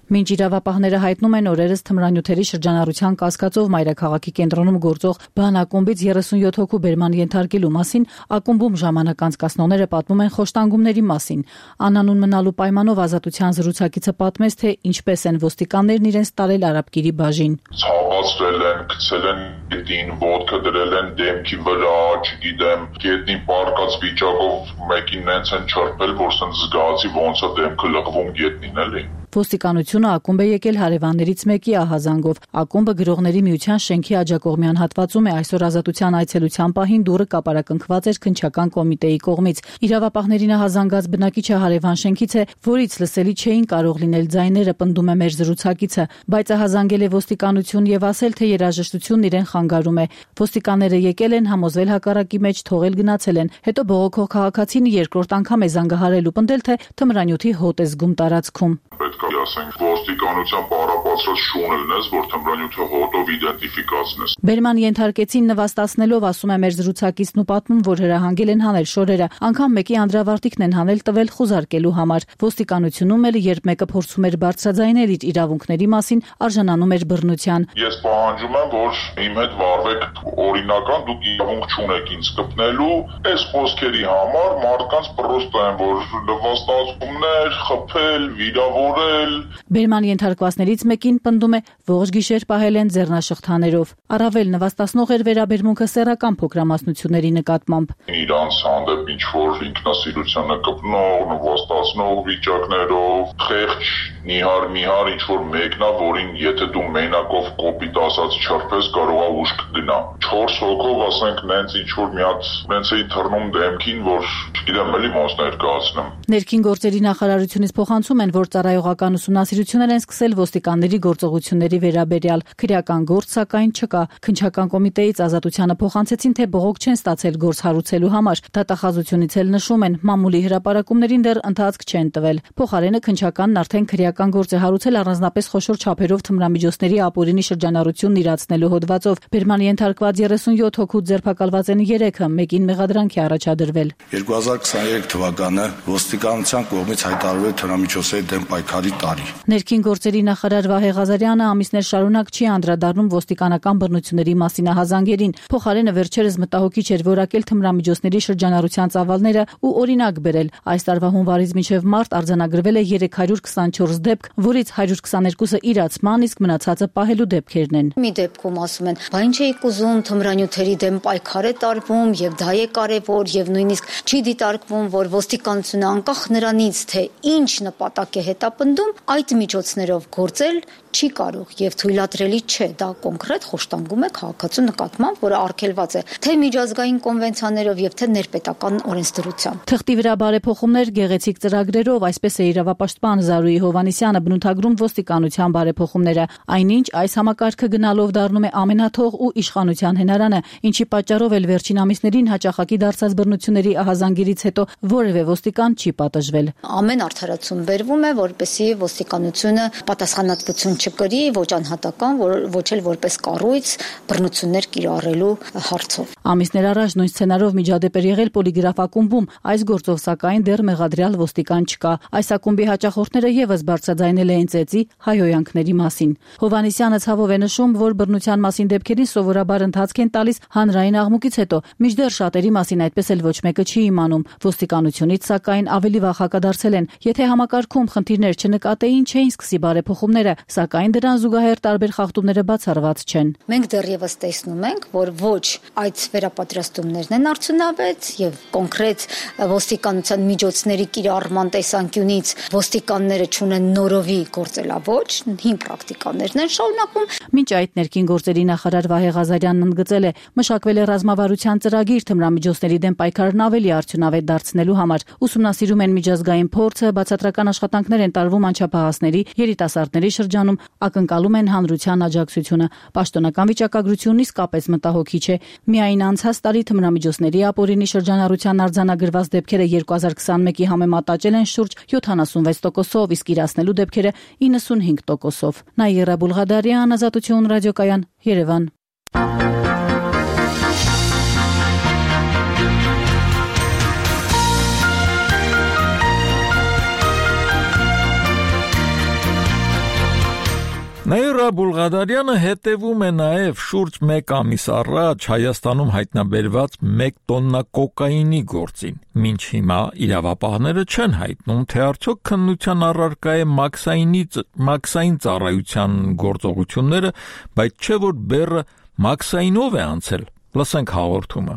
Մինչ իրավապահները հայտնում են օրերս թմրանյութերի շրջանառության կասկածով մայրաքաղաքի կենտրոնում գործող բանակումբից 37 հոգու բերման ենթարկելու մասին, ակումբում ժամանակ անցկացնողները պատմում են խոշտանգումների մասին։ Անանուն մնալու պայմանով Ազատության զրուցակիցը պատմեց, թե ինչպես են ոստիկաններն իրենց տարել Արաբկիրի բաժին։ Ցավացրել են, գցել են գետին, ոտքը դրել են դեմքի վրա, չգիտեմ, գետնի պարկած վիճակով մեկին նենց են չրպել, որ սենց զգացի ոնց է դեմքը լղվում գետնին, էլի։ Ոստիկանությունը ակումբ է եկել հարևաններից մեկի ահազանգով։ Ակումբը գրողների միության շենքի աջակողմյան հատվածում է այսօր ազատության այցելության պահին դուռը կապարակնքված էր քննչական կոմիտեի կողմից։ Իրավապահներին ահազանգած բնակիչը հարևան շենքից է, որից լսելի չէին կարող լինել ձայները, պնդում է մեր զրուցակիցը, բայց ահազանգել է ոստիկանություն եւ ասել, թե երաժշտությունն իրեն խանգարում է։ Ոստիկանները եկել են, համոզվել հակառակի մեջ, թողել գնացել են։ Հետո բողոքող քաղաքացին երկրորդ անգամ է զանգահարել ու պնդել, թե թմրանյութի հոտ է զգում տարածքում։ Պետք է ասենք ոստիկանության պարապացրած շուն լինես, որ թմրանյութը հոտով իդենտիֆիկացնես։ Բերման ենթարկեցին նվաստացնելով, ասում է մեր զրուցակիցն ու պատմում, որ հրահանգել են հանել շորերը, անգամ մեկի անդրավարտիքն են հանել տվել խուզարկելու համար։ Ոստիկանությունում էլ, երբ մեկը փորձում էր բարձրաձայնել իր իրավունքների մասին, արժանանում էր բռնության։ Ես պահանջում եմ, որ իմ հետ վարվեք օրինական, դուք իրավունք չունեք ինձ կպնելու, այս խոսքերի համար մարդկանց պրոստը են, որ նվաստացումներ, խփել, վիրավորել։ Բերման ենթարկվածներից մեկին պնդում է, ողջ գիշեր պահել են ձեռնաշղթաներով։ Առավել նվաստացնող էր վերաբերմունքը սեռական փոքրամասնությունների նկատմամբ։ Իրանց հանդեպ ինչ-որ ինքնասիրությանը կպնող, նվաստացնող վիճակներով, խեղճ, նիհար ինչ-որ մեկնա, որին եթե դու մենակով կոպիտ ասած չրպես կարողա ուշ կգնա։ 4 հոգով ասենք նենց ինչ-որ մի հատ նենց էի թռնում դեմքին, որ չգիտեմ էլի ոնց ներկայացնեմ։ Ներքին գործերի նախարարությունից փոխանցում են, որ ծառայողական ուսումնասիրություններ են սկսել ոստիկանների գործողությունների վերաբերյալ։ Քրեական գործ սակայն չկա։ Քննչական կոմիտեից ազատությանը փոխանցեցին, թե բողոք չեն ստացել գործ հարուցելու համար։ Դատախազությունից էլ նշում են, մամուլի հրապարակումներին դեռ ընթացք չեն տվել։ Փոխարենը քննչականն արդեն քրեական գործ է հարուցել առանձնապես խոշոր չափերով թմրամիջոցների ապօրինի շրջանառությունն իրացնելու հոդվածով։ Բերման ենթարկված 37 հոգու ձերբակալված են 3-ը, մեկին մեղադրանք է առաջադրվել։ 2023 թվականը ոստիկանության կողմից հայտարարվել թմրամիջոցների դեմ պայքարի տարի։ Ներքին գործերի նախարար Վահե Ղազարյանը ամիսներ շարունակ չի անդրադառնում ոստիկանական բռնությունների մասին ահազանգերին։ Փոխարենը վերջերս մտահոգիչ էր որակել թմրամիջոցների շրջանառության ծավալները ու օրինակ բերել։ Այս տարվա հունվարից մինչև մարտ արձանագրվել է 324 դեպք, որից 122-ը իրացման, իսկ մնացածը պահելու դեպքերն են։ Մի դեպքում ասում են, բա ինչ էիք ուզում, թմրանյութերի դեմ պայքար է տարվում եւ դա է կարեւոր եւ նույնիսկ չի դիտարկվում, որ ոստիկանությունը անկախ նրանից, թե ինչ նպատակ է հետապնդում, այդ միջոցներով գործել չի կարող եւ թույլատրելի չէ, դա կոնկրետ խոշտանգում է քաղաքացու նկատմամբ, որը արգելված է թե միջազգային կոնվենցիաներով եւ թե ներպետական օրենսդրությամբ։ Թղթի վրա բարեփոխումներ գեղեցիկ ծրագրերով, այսպես է իրավապաշտպան Զարուհի Հովհաննիսյանը բնութագրում ոստիկանության բարեփոխումները։ Այնինչ այս համակարգը գնալով դառնում է ամենաթող ու իշխանության հենարանը, ինչի պատճառով էլ վերջին ամիսներին հաճախակի դարձած բռնությունների ահազանգերից հետո որևէ ոստիկան չի պատժվել։ Ամեն արդարացում բերվում է, որպեսզի ոստիկանությունը պատասխանատվություն չկրի ոչ անհատական, ոչ էլ որպես կառույց բռնություններ կիրառելու հարցով։ Ամիսներ առաջ նույն սցենարով միջադեպ էր եղել Պոլիգրաֆ ակումբում, այս գործով սակայն դեռ մեղադրյալ ոստիկան չկա։ Այս ակումբի հաճախորդները եւս բարձրաձայնել էին ծեծի հայհոյանքների մասին։ Հովհաննիսյանը ցավով է նշում, որ բռնության մասին դեպքերին սովորաբար ընթացք են տալիս հանրային աղմուկից հետո, մինչդեռ շատերի մասին այդպես էլ ոչ մեկը չի իմանում։ Ոստիկանությունից սակայն ավելի վաղ հակադարձել են, եթե համակարգում խնդիրներ չնկատեին, չէին սկսի բարեփոխումները, սակայն դրան զուգահեռ տարբեր խախտումները բացառված չեն։ Մենք դեռևս տեսնում ենք, որ ոչ այդ վերապատրաստումներն են արդյունավետ եւ կոնկրետ ոստիկանության միջոցների կիրառման տեսանկյունից ոստիկանները չունեն նորովի գործելավոճ, հին պրակտիկաներն են շարունակում։ Մինչ այդ ներքին գործերի նախարար Վահե Ղազարյանն ընդգծել է, մշակվել է ռազմավարության ծրագիր թմրամիջոցների դեմ պայքարն ավելի արդյունավետ դարձնելու համար։ Ուսումնասիրում են միջազգային փորձը, բացատրական աշխատանքներ են տարվում անչափահասների, երիտասարդների շրջանում, ակնկալում են հանրության աջակցությունը։ Պաշտոնական վիճակագրությունն իսկապես մտահոգիչ է։ Միայն անցած տարի թմրամիջոցների ապօրինի շրջանառության արձանագրված դեպքերը 2021-ի համեմատ աճել են շուրջ 76%-ով, իսկ իրացնելու դեպքերը 95%-ով։ Նաիրա Բուլղադարյան, Ազատություն ռադիոկայան, Երևան։ Նաիրա Բուլղադարյանը հետևում է նաև շուրջ 1 ամիս առաջ Հայաստանում հայտնաբերված 1 տոննա կոկաինի գործին։ Մինչ հիմա իրավապահները չեն հայտնում, թե արդյոք քննության առարկա է մաքսային ծառայության գործողությունները, բայց չէ որ բեռը մաքսայինով է անցել։ Լսենք հաղորդումը։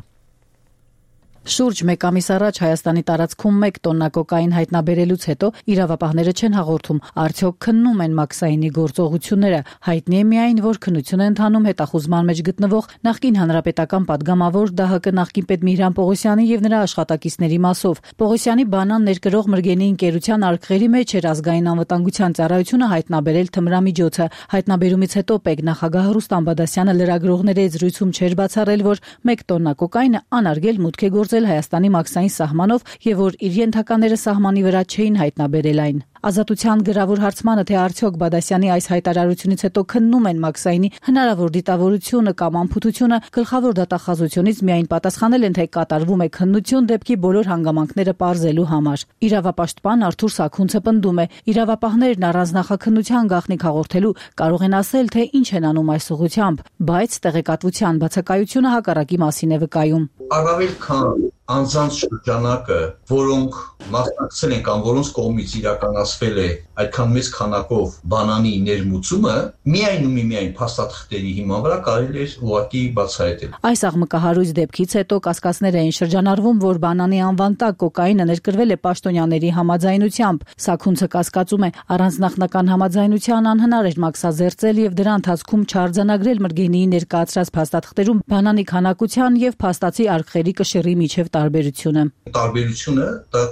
Շուրջ 1 ամիս առաջ Հայաստանի տարածքում 1 տոննա կոկային հայտնաբերելուց հետո իրավապահները չեն հաղորդում, արդյոք քննում են մաքսայինի գործողությունները։ Հայտնի է միայն, որ քննություն է ընթանում հետախուզման մեջ գտնվող նախկին հանրապետական падգամավոր ԴՀԿ նախկին պետ Միհրան Պողոսյանի եւ նրա աշխատակիցների մասով։ Պողոսյանի բանան ներկրող Մրգենի ընկերության արկղերի մեջ էր ազգային անվտանգության ծառայությունը հայտնաբերել թմրամիջոցը։ Հայտնաբերումից հետո ՊԵԿ նախագահ Ռուստամ Բադասյանը լրագրողների հետ զրույցում չէր բացառել, որ 1 տոննա կոկայնը անարգել մուտք է գործել Հայաստանի մաքսային սահմանով եւ որ իր ենթակաները սահմանի վրա չէին հայտնաբերել այն։ Ազատության գրավոր հարցմանը, թե արդյոք Բադասյանի այս հայտարարությունից հետո քննում են մաքսայինի հնարավոր դիտավորությունը կամ անփութությունը, գլխավոր դատախազությունից միայն պատասխանել են, թե կատարվում է քննություն դեպքի բոլոր հանգամանքները պարզելու համար։ Իրավապաշտպան Արթուր Սաքունցը պնդում է, իրավապահներն առանց նախաքննության գաղտնիք հաղորդելու կարող են ասել, թե ինչ են անում այս ուղղությամբ, բայց տեղեկատվության բացակայությունը հակառակի մասին է վկայում։ Առավել քան անձանց շրջանակը, որոնք մասնակցել են կամ որոնց կողմից իրականացվել է այդքան մեծ քանակով բանանի ներմուծումը, միայն փաստաթղթերի հիման վրա կարելի է ուղղակի բացահայտել։ Այս աղմկահարույց դեպքից հետո կասկածներ էին շրջանառվում, որ բանանի անվան տակ կոկայինը ներկրվել է պաշտոնյաների համաձայնությամբ։ Սաքունցը կասկածում է, առանց նախնական համաձայնության անհնար էր մաքսազերծել եւ դրա ընթացքում չարձանագրել Մրգենիի ներկայացրած փաստաթղթերում բանանի քանակության եւ փաստացի արկղերի կշիռի միջև տարբերությունը։ Տարբերությունը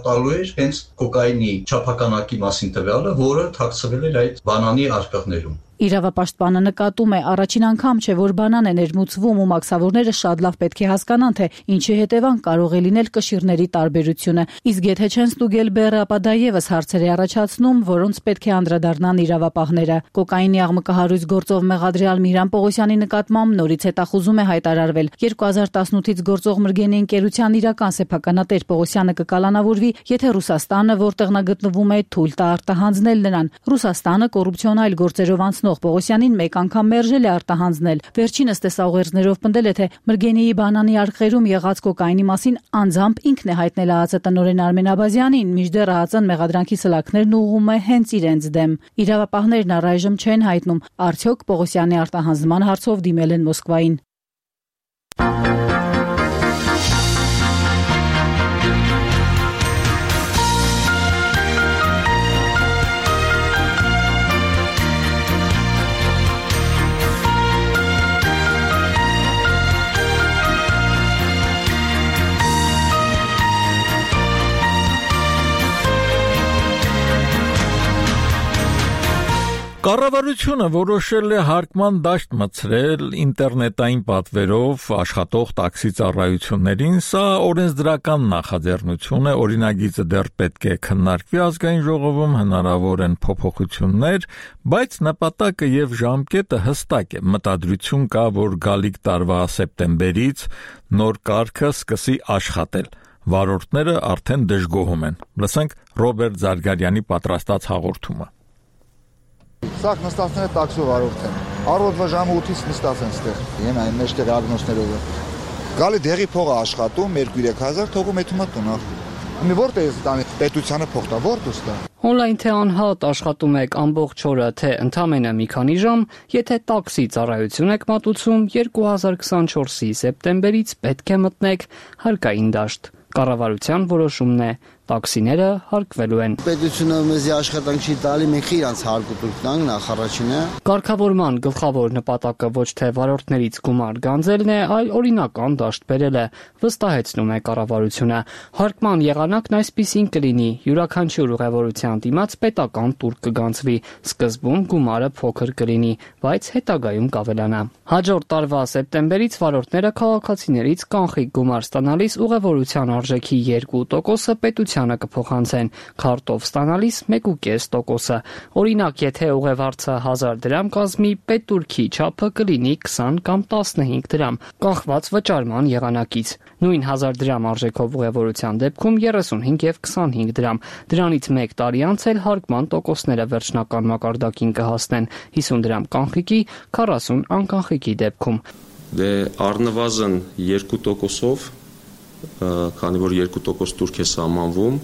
տալու էր հենց կոկայինի չափականակի մասին տվյալը, որը թաքցվել էր այդ բանանի արկղներում։ Իրավապաշտպանը նկատում է, առաջին անգամ չէ, որ բանան է ներմուծվում ու մաքսավորները շատ լավ պետք է հասկանան, թե ինչի հետևանք կարող է լինել կշիռների տարբերությունը։ Իսկ եթե չեն ստուգել բեռը, ապա դա եւս հարցեր է առաջացնում, որոնց պետք է անդրադառնան իրավապահները։ Կոկայինի աղմկահարույց գործով մեղադրյալ Միհրան Պողոսյանի նկատմամբ նորից հետախուզում է հայտարարվել։ 2018-ից գործող Մրգենի ընկերության իրական սեփականատեր Պողոսյանը կկալանավորվի, եթե Ռուսաստանը, որտեղ նա գտնվում է, թույլ տա արտահանձնել նրան։ Ռուսաստանը կոռուպցիոնալ գործերով Պողոսյանին 1 անգամ մերժել է արտահանձնել։ Վերջինս տեսաուղերձներով պնդել է, թե Մրգենիի բանանի արկղերում եղած կոկայինի մասին անձամբ ինքն է հայտնել ԱԱԾ տնօրեն Արմեն Աբազյանին, մինչդեռ ԱԱԾ-ն մեղադրանքի սլաքներն ուղղում է հենց իրենց դեմ։ Իրավապահներն առայժմ չեն հայտնում, արդյոք Պողոսյանի արտահանձնման հարցով դիմել են Մոսկվային։ Կառավարությունը որոշել է հարկման դաշտ մտցրել ինտերնետային պատվերով աշխատող տաքսի ծառայություններին, սա օրենսդրական նախաձեռնություն է, օրինագիծը դեռ պետք է քննարկվի ազգային ժողովում, հնարավոր են փոփոխություններ, բայց նպատակը եւ ժամկետը հստակ է, մտադրություն կա, որ գալիք տարվա սեպտեմբերից նոր կարգը սկսի աշխատել։ Վարորդները արդեն դժգոհում են։ Լսենք Ռոբերտ Զարգարյանի պատրաստած հաղորդումը։ Սաղ նստածները տաքսի վարորդ են։ Առօրվա ժամը 8-ից նստած են ստեղ։ Են այն մեջտեղ ագնոսներով։ Գալի դեղի փողը աշխատում 2-3 հազար թողում է թումա տունը։ Մի որտե՞ղ է տանի պետությանը փող տա, որտու ստա։ Օնլայն թե անհատ աշխատում եք ամբողջ օրը, թե ընդամենը մի քանի ժամ, եթե տաքսի ծառայություն եք մատուցում, 2024-ի սեպտեմբերից պետք է մտնեք հարկային դաշտ։ Կառավարության որոշումն է, տաքսիները հարկվելու են։ Պետությունը մեզի աշխատանք չի տալի, մենք իրանց հարկուտուր տանք նախարարինը։ Կարգավորման գլխավոր նպատակը ոչ թե վարորդներից գումար գանձելն է, այլ օրինական դաշտ բերելը, վստահեցնում է կառավարությունը։ Հարկման եղանակն այսպիսին կլինի՝ յուրաքանչյուր ուղևորության դիմաց պետական տուր կգանձվի։ Սկզբում գումարը փոքր կլինի, բայց հետագայում կավելանա։ Հաջորդ տարվա սեպտեմբերից վարորդները քաղաքացիներից կանխիկ գումար ստանալիս ուղևորության արժեքի 2% պետությանը կփոխանցեն, քարտով ստանալիս 1.5%։ Օրինակ, եթե ուղևորցը 1000 դրամ կազմի, պետտուրքի չափը կլինի 20 կամ 15 դրամ, կախված վճարման եղանակից։ Նույն 1000 դրամ արժեքով ուղևորության դեպքում 35 եւ 25 դրամ։ Դրանից 1 տարի անց էլ հարկման տոկոսները վերջնական մակարդակին կհասնեն 50 դրամ կանխիկի, 40 անկանխիկի դեպքում։ Դե առնվազն 2%-ով, քանի որ 2% տուրք է սահմանվում,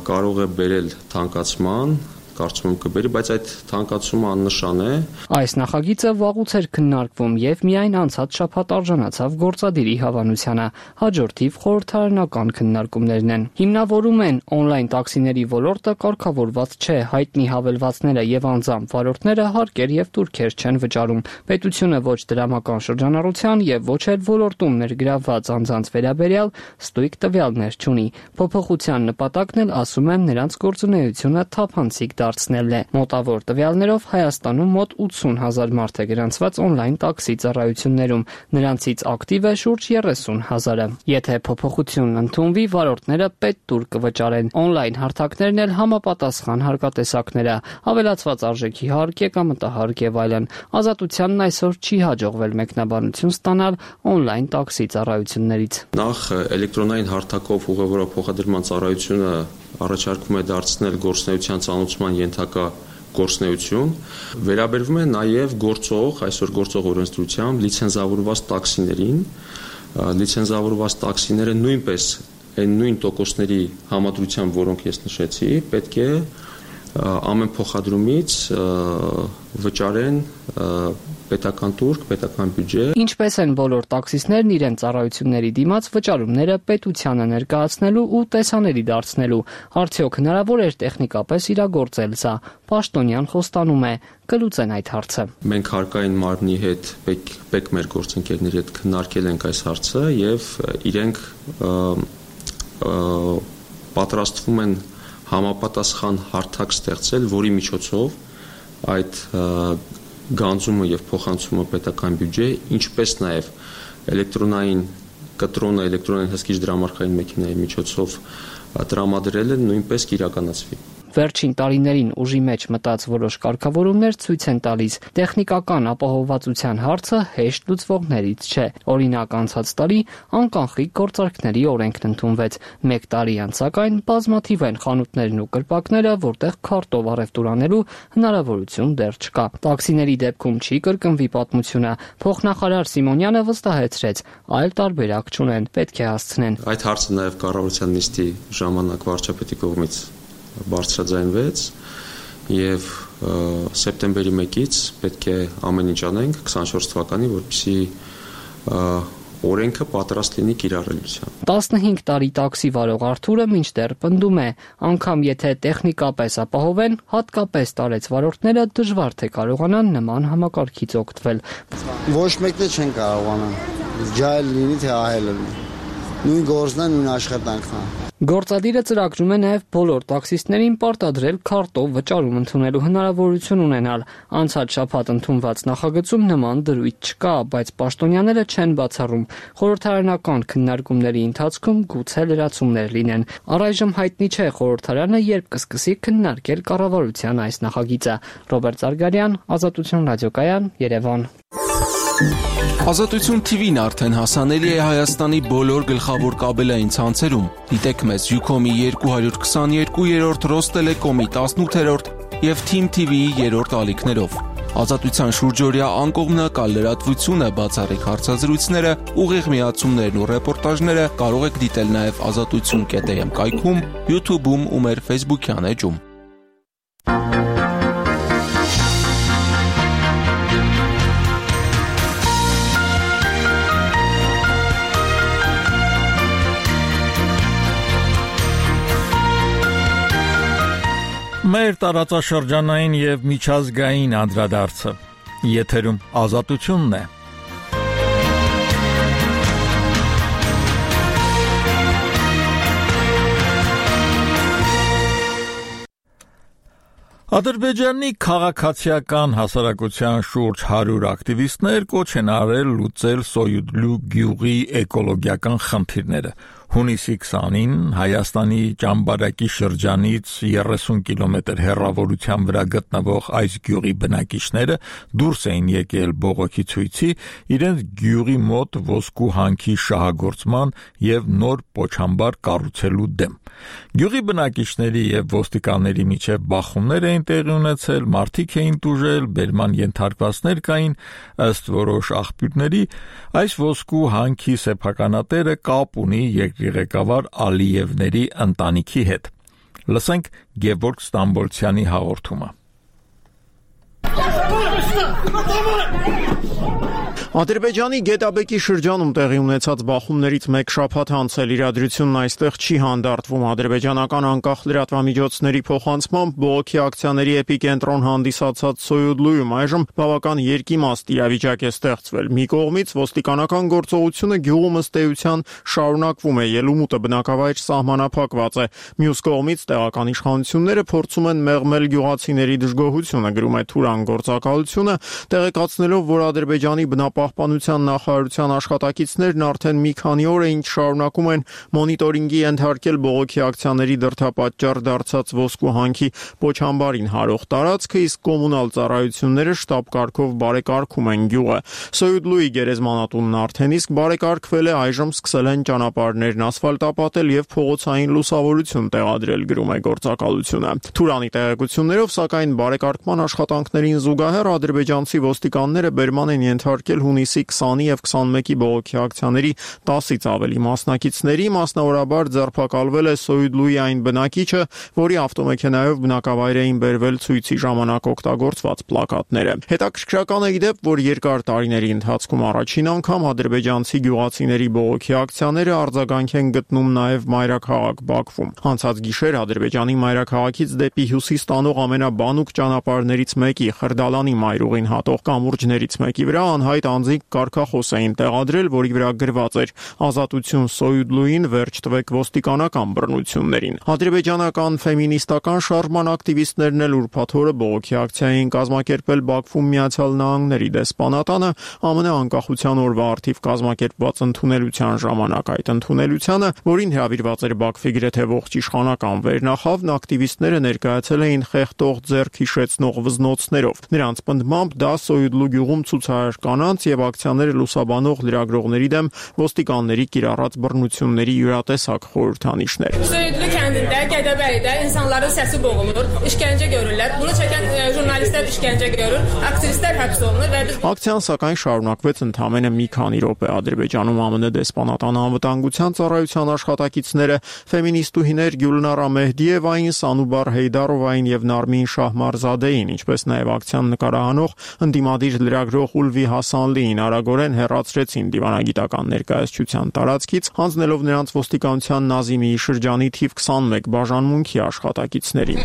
կարող է բերել թանկացման, կարծում եմ կբերի, բայց այդ թանկացումը աննշան է։ Այս նախագիծը վաղուց էր քննարկվում եւ միայն անցած շաբաթ արժանացավ գործադիրի հավանությանը։ Հաջորդիվ խորհրդարանական քննարկումներն են։ Հիմնավորում են օնլայն տաքսիների ոլորտը կարգավորված չէ, հայտնի հավելվածները եւ անձամբ վարորդները հարկեր եւ տուրքեր չեն վճարում։ Պետությունը ոչ դրամական շրջանառության եւ ոչ էլ ոլորտում ներգրավված անձանց վերաբերյալ ստույգ տվյալներ չունի։ Փոփոխության նպատակն էլ, ասում են, նրանց գործունեությունը թափանցիկ դարձնելն է։ Մոտավոր տվյալներով Հայաստանում մոտ 80,000 մարդ է գրանցված օնլայն տաքսի ծառայություններում, նրանցից ակտիվ է շուրջ 30,000-ը։ Եթե փոփոխությունն ընդունվի, վարորդները պետտուր կվճարեն։ Օնլայն հարթակներն էլ համապատասխան հարկատեսակներ է, ավելացված արժեքի հարկ, եկամտահարկ եւ այլն։ Ազատությանն այսօր չի հաջողվել մեկնաբանություն ստանալ օնլայն տաքսի ծառայություններից։ Նախ էլեկտրոնային հարթակով ուղևորող փոխադրման ծառայությունը առաջարկում է դարձնել գործունեության ծանուցման ենթակա գործունեություն, վերաբերվում է նաև այսօր գործող օրենսդրությամբ լիցենզավորված տաքսիներին, լիցենզավորված տաքսիները նույնպես այն նույն տոկոսների համադրությամբ, որոնք ես նշեցի, պետք է ամեն փոխադրումից վճարեն պետական տուրք, պետական բյուջե։ Ինչպես են բոլոր տաքսիստներն իրենց ծառայությունների դիմաց վճարումները պետությանը ներկայացնելու ու տեսանելի դարձնելու։ Արդյոք հնարավոր էր տեխնիկապես իրագործել սա։ Պաշտոնյան խոստանում է կլուծեն այդ հարցը։ Մենք հարկային մարմնի հետ, ՊԵԿ մեր գործընկերների հետ քննարկել ենք այս հարցը եւ իրենք պատրաստվում են համապատասխան հարթակ ստեղծել, որի միջոցով այդ գանձումը եւ փոխանցումը պետական բյուջե, ինչպես նաեւ էլեկտրոնային կտրոնը, էլեկտրոնային հսկիչ դրամարկղային մեքենայի միջոցով տրամադրելը նույնպես կիրականացվի։ Վերջին տարիներին ուժի մեջ մտած որոշ կարգավորումներ ցույց են տալիս, տեխնիկական ապահովվածության հարցը հեշտ լուծվողներից չէ։ Օրինակ, անցած տարի անկանխիկ գործարքների օրենքն ընդունվեց։ 1 տարի անց սակայն բազմաթիվ են խանութներն ու կրպակները, որտեղ քարտով առևտուր անելու հնարավորություն դեռ չկա։ Տաքսիների դեպքում չի կրկնվի պատմությունը։ Փոխնախարար Սիմոնյանը վստահեցրեց, այլ տարբերակ չունեն, պետք է հասցնեն։ Այդ հարցը նաև կառավարության նիստի ժամանակ վարչապետի կողմից բարձրաձայնվեց եւ սեպտեմբերի 1-ից պետք է ամեն ինչ անենք 24 թվականի, որպեսզի օրենքը պատրաստ լինի կիրառելիության։ 15 տարի տաքսի վարող Արթուրը մինչդեռ պնդում է, անգամ եթե տեխնիկապես ապահովեն, հատկապես տարեց վարորդները դժվար թե կարողանան նման համակարգից օգտվել։ Ոչ մեկն չեն կարողանա։ Ջայլ լինի թե ահել լինի։ Նույն գործն է, նույն աշխատանքն է։ Գործադիրը ծրագրում է նաև բոլոր տաքսիստներին պարտադրել քարտով վճարում ընդունելու հնարավորություն ունենալ։ Անցած շաբաթ ընդունված նախագծում նման դրույթ չկա, բայց պաշտոնյաները չեն բացառում։ Խորհրդարանական քննարկումների ընթացքում գուցե լրացումներ լինեն։ Առայժմ հայտնի չէ խորհրդարանը երբ կսկսի քննարկել կառավարության այս նախագիծը։ Ռոբերտ Զարգարյան, Ազատություն ռադիոկայան, Երևան։ Ազատություն TV-ն արդեն հասանելի է Հայաստանի բոլոր գլխավոր կաբելային ցանցերում։ Դիտեք մեզ Ucom-ի 222-րդ, Ռոստելեկոմի 18-րդ եւ Team TV-ի 3-րդ ալիքներով։ Ազատության շուրջօրյա անկողմնակալ լրատվությունը, բացառիկ հարցազրույցները, ուղիղ միացումներն ու ռեպորտաժները կարող եք դիտել նաեւ azatutsun.am կայքում, YouTube-ում ու մեր Facebook-յան էջում։ Մեր տարածաշրջանային եւ միջազգային անդրադարձը եթերում ազատությունն է։ Ադրբեջանի քաղաքացիական հասարակության շուրջ 100 ակտիվիստներ կոչ են արել լուծել Սոյուդլու գյուղի էկոլոգիական խնդիրները։ Հունիսի 20-ին Հայաստանի Ճամբարակի շրջանից 30 կիլոմետր հեռավորության վրա գտնվող այս գյուղի բնակիչները դուրս էին եկել բողոքի ցույցի իրենց գյուղի մոտ ոսկու հանքի շահագործման եւ նոր պոչամբար կառուցելու դեմ։ Գյուղի բնակիչների եւ ոստիկանների միջև բախումներ էին տեղի ունեցել, մարդիկ էին տուժել, բերման ենթարկվածներ կային, ըստ որոշ աղբյուրների այս ոսկու հանքի սեփականատերը կապ ունի երկրի ղեկավար Ալիևների ընտանիքի հետ։ Լսենք Գևորգ Ստամբոլցյանի հաղորդումը։ Ադրբեջանի Գետաբեկի շրջանում տեղի ունեցած բախումներից մեկ շաբաթ անց էլ իրադրությունն այստեղ չի հանդարտվում։ Ադրբեջանական անկախ լրատվամիջոցների փոխանցմամբ բողոքի ակցիաների էպիկենտրոն հանդիսացած Սոյուդլույում այժմ բավական երկիմաստ իրավիճակ է ստեղծվել։ Մի կողմից ոստիկանական գործողությունը գյուղում ըստ էության շարունակվում է, ելումուտը բնակավայր սահմանափակված է։ Մյուս կողմից տեղական իշխանությունները փորձում են մեղմել գյուղացիների դժգոհությունը, գրում է Թուրան գործակալությունը, տեղեկացնելով, որ Ադրբեջանի բնապահպանության նախարարության աշխատակիցներն արդեն մի քանի օր է ինչ շարունակում են մոնիտորինգի ենթարկել բողոքի ակցիաների դրդապատճառ դարձած ոսկու հանքի Պոչամբարին հարող տարածքը, իսկ կոմունալ ծառայությունները շտաբ կարգով բարեկարգում են գյուղը։ Սոյուդլուի գերեզմանատունն արդեն իսկ բարեկարգվել է, այժմ սկսել են ճանապարհներն ասֆալտապատել եւ փողոցային լուսավորություն տեղադրել, գրում է գործակալությունը։ Թուրանի տեղեկություններով, սակայն բարեկարգման աշխատանքներին զուգահեռ ադրբեջանցի ոստիկանները բերման են ենթարկել հունիսի 20-ի եւ 21-ի բողոքի ակցիաների 10-ից ավելի մասնակիցների, մասնավորաբար ձերբակալվել է Սոյուդլուի այն բնակիչը, որի ավտոմեքենայով բնակավայր էին բերվել ցույցի ժամանակ օգտագործված պլակատները։ Հետաքրքրական է իդեպ, որ երկար տարիների ընթացքում առաջին անգամ ադրբեջանցի գյուղացիների բողոքի ակցիաները արձագանք են գտնում նաեւ մայրաքաղաք Բաքվում։ Անցած գիշեր Ադրբեջանի մայրաքաղաքից դեպի հյուսիս տանող ամենաբանուկ ճանապարհներից մեկի Խրդալանի մայրուղին հատող կամուրջներից մեկի վրա անհայտ անձինք կարգախոս էին տեղադրել, որի վրա գրված էր «Ազատություն Սոյուդլուին, վերջ տվեք ոստիկանական բռնություններին»։ Ադրբեջանական ֆեմինիստական շարժման ակտիվիստներն էլ ուրբաթ օրը բողոքի ակցիա էին կազմակերպել Բաքվում Միացյալ Նահանգների դեսպանատանը ԱՄՆ անկախության օրվա առթիվ կազմակերպված ընդունելության ժամանակ։ Այդ ընդունելությանը, որին հրավիրված էր Բաքվի գրեթե ողջ իշխանական վերնախավն, ակտիվիստները ներկայացել էին խեղդող ձեռք հիշեցնող վզնոցներով։ Նրանց պնդմամբ դա Սոյուդլու գյուղում ցուցարար կանանց եւ ակցիաները լուսաբանող լրագրողների դեմ ոստիկանների կիրառած բռնությունների յուրատեսակ խորհրդանիշներ։ Սոյուդլու kəndində Gədəbəydə insanların səsi boğulur, işgəncə görürlər. Bunu çəkən jurnalistlər işgəncə görür, aktivistlər həbs olunur və biz Ակցիան սակայն շարունակվեց ընդամենը մի քանի րոպե։ Ադրբեջանում ԱՄՆ դեսպանատան անվտանգության ծառայության աշխատակիցները ֆեմինիստուհիներ Գյուլնարա Մեհդիևային, Սանուբար Հեյդարովային եւ Նարմին Շահմարզադեին, ինչպես նաեւ ակցիան նկարահանող ընդդիմադիր լրագրող Ուլվի Հասանլիին արագորեն հեռացրեցին դիվանագիտական ներկայացության տարածքից, հանձնելով նրանց ոստիկանության Նազիմիի շրջանի թիվ 21 բաժանմունքի աշխատակիցներին։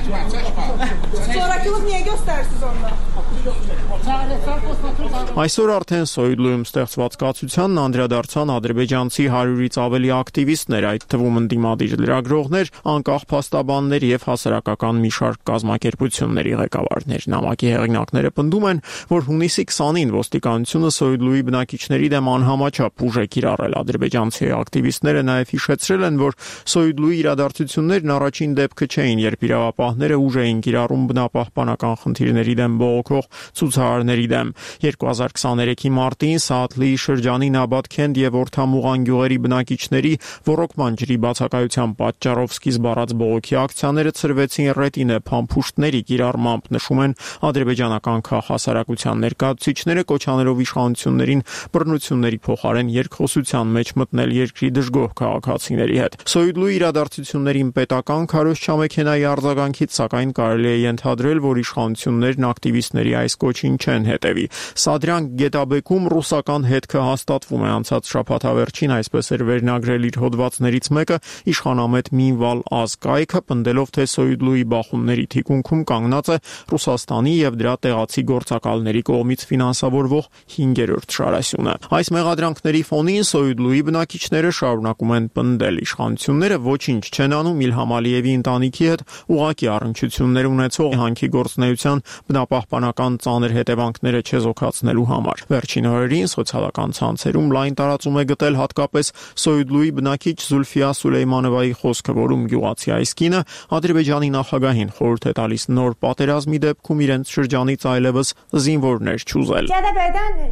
Այսօր արդեն Սոյուդլույում ստեղծված կացությանն անդրադարձան ադրբեջանցի 100-ից ավելի ակտիվիստներ, այդ թվում ընդդիմադիր լրագրողներ, անկախ փաստաբաններ եւ հասարակական մի շարք կազմակերպությունների ղեկավարներ։ Նամակի հեղինակները պնդում են, որ հունիսի 20-ին ոստիկանությունը Սոյուդլուի բնակիչների դեմ անհամաչափ ուժ է կիրառել։ Ադրբեջանցի ակտիվիստները նաեւ հիշեցրել են, որ Սոյուդլուի իրադարձություններն առաջին դեպքը չէին, երբ իրավապահները ուժ էին կիրառում բնապահպանական խնդիրների դեմ բողոքող ցուցարարների դեմ։ 2023-ի մարտին Սաաթլիի շրջանի Նաբատքենդ եւ Օրթամուղան գյուղերի բնակիչների ոռոգման ջրի բացակայության պատճառով սկիզբ առած բողոքի ակցիաները ծրվեցին ռետինե փամփուշտների կիրառմամբ, նշում են ադրբեջանական քաղաքասարակության ներկայացուցիչները, կոչանելով իշխանություններին բռնությունների փոխարեն երկխոսության մեջ մտնել երկրի դժգոհ քաղաքացիների հետ։ Սոյուդլուի իրադարձություններին պետական քարոզչամեքենայի արձագանքից սակայն կարելի է ենթադրել, որ իշխանություններն ակտիվիստների այս կոչին չեն հետևի։ Սադրան Գետաբեկում ռուսական հետքը հաստատվում է։ Անցած շաբաթավերջին այսպես էր վերնագրել իր հոդվածներից մեկը իշխանամետ Մինվալ Ազկայքը, պնդելով, թե Սոյուդլուի բախումների թիկունքում կանգնած է Ռուսաստանի եւ դրա տեղացի գործակալների կողմից ֆինանսավորվող 5-րդ շարասյունը։ Այս մեղադրանքների ֆոնին Սոյուդլուի բնակիչները շարունակում են պնդել, իշխանությունները ոչինչ չեն անում Իլհամ Ալիևի ընտանիքի հետ ուղղակի առնչություններ ունեցող հանքի գործունեության բնապահպանական ծանր հետևանքները չեզոքացնելու համար։ Վերջին օրերին սոցիալական ցանցերում լայն տարածում է գտել հատկապես Սոյուդլուի բնակիչ Զուլֆիա Սուլեյմանովայի խոսքը, որում գյուղացի այս կինը Ադրբեջանի նախագահին խորհուրդ է տալիս նոր պատերազմի դեպքում իրենց շրջանից այլևս զինվորներ չուզել։ Gədəbəydən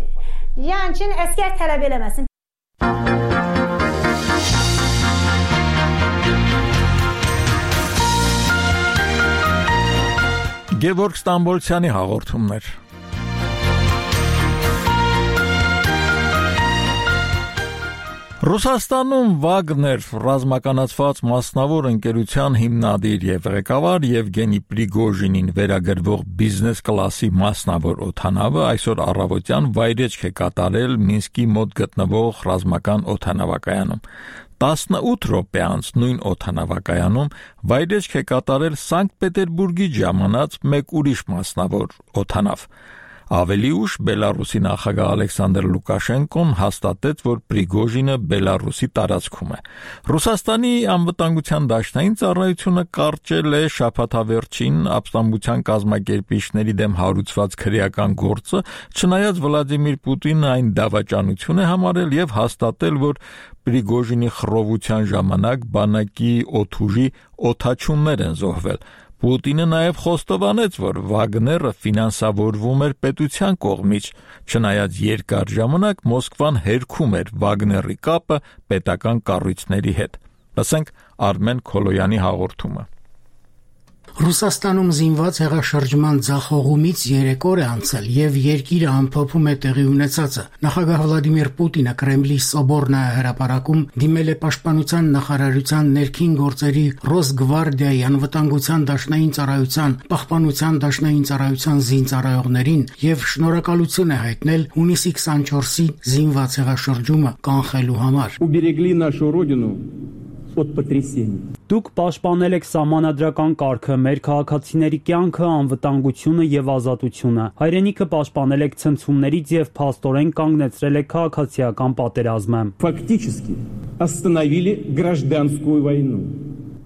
yəni əskər tələb eləməsin. Գևորգ Ստամբոլցյանի հաղորդումներ։ Ռուսաստանում Վագներ ռազմականացված մասնավոր ընկերության հիմնադիր եւ ղեկավար Եվգենի Պրիգոժինին վերագրվող բիզնես կլասի մասնավոր օդանավը այսօր առավոտյան վայրեջք է կատարել Մինսկի մոտ գտնվող ռազմական օդանավակայանում։ 18 րոպե անց նույն օդանավակայանում վայրեջք է կատարել Սանկտ Պետերբուրգի ժամանած մեկ ուրիշ մասնավոր օդանավ։ Ավելի ուշ Բելարուսի նախագահ Ալեքսանդր Լուկաշենկոն հաստատեց, որ Պրիգոժինը Բելարուսի տարածքում է։ Ռուսաստանի անվտանգության դաշնային ծառայությունը կարճել է շաբաթավերջին ապստամբության կազմակերպիչների դեմ հարուցված քրեական գործը, չնայած Վլադիմիր Պուտինը այն դավաճանություն է համարել եւ հաստատել, որ Պրիգոժինի խռովության ժամանակ բանակի օդուժի օդաչուններ են զոհվել։ Պուտինը նաև խոստովանեց, որ Վագները ֆինանսավորվում էր պետության կողմից, չնայած երկար ժամանակ Մոսկվան հերքում էր Վագների կապը պետական կառույցների հետ։ Լսենք Արմեն Քոլոյանի հաղորդումը։ Ռուսաստանում զինված հեղաշրջման ձախողումից 3 օր է անցել եւ երկիրը ամփոփում է տեղի ունեցածը։ Նախագահ Վլադիմիր Պուտինը Կրեմլի Սոբորնայա հրապարակում դիմել է Պաշտպանության նախարարության ներքին գործերի Ռոսգվարդիայի անվտանգության դաշնային ծառայության, Պահպանության դաշնային ծառայության զինծառայողներին եւ շնորհակալություն է հայտնել հունիսի 24-ի զինված հեղաշրջումը կանխելու համար։ Уберегли нашу родину от потрясений. Դուք պաշտպանել եք սահմանադրական կարգը, մեր քաղաքացիների կյանքը, անվտանգությունը եւ ազատությունը։ Հայրենիքը պաշտպանել եք ցնցումներից եւ փաստորեն կանգնեցրել եք քաղաքացիական պատերազմը։ Фактически остановили гражданскую войну.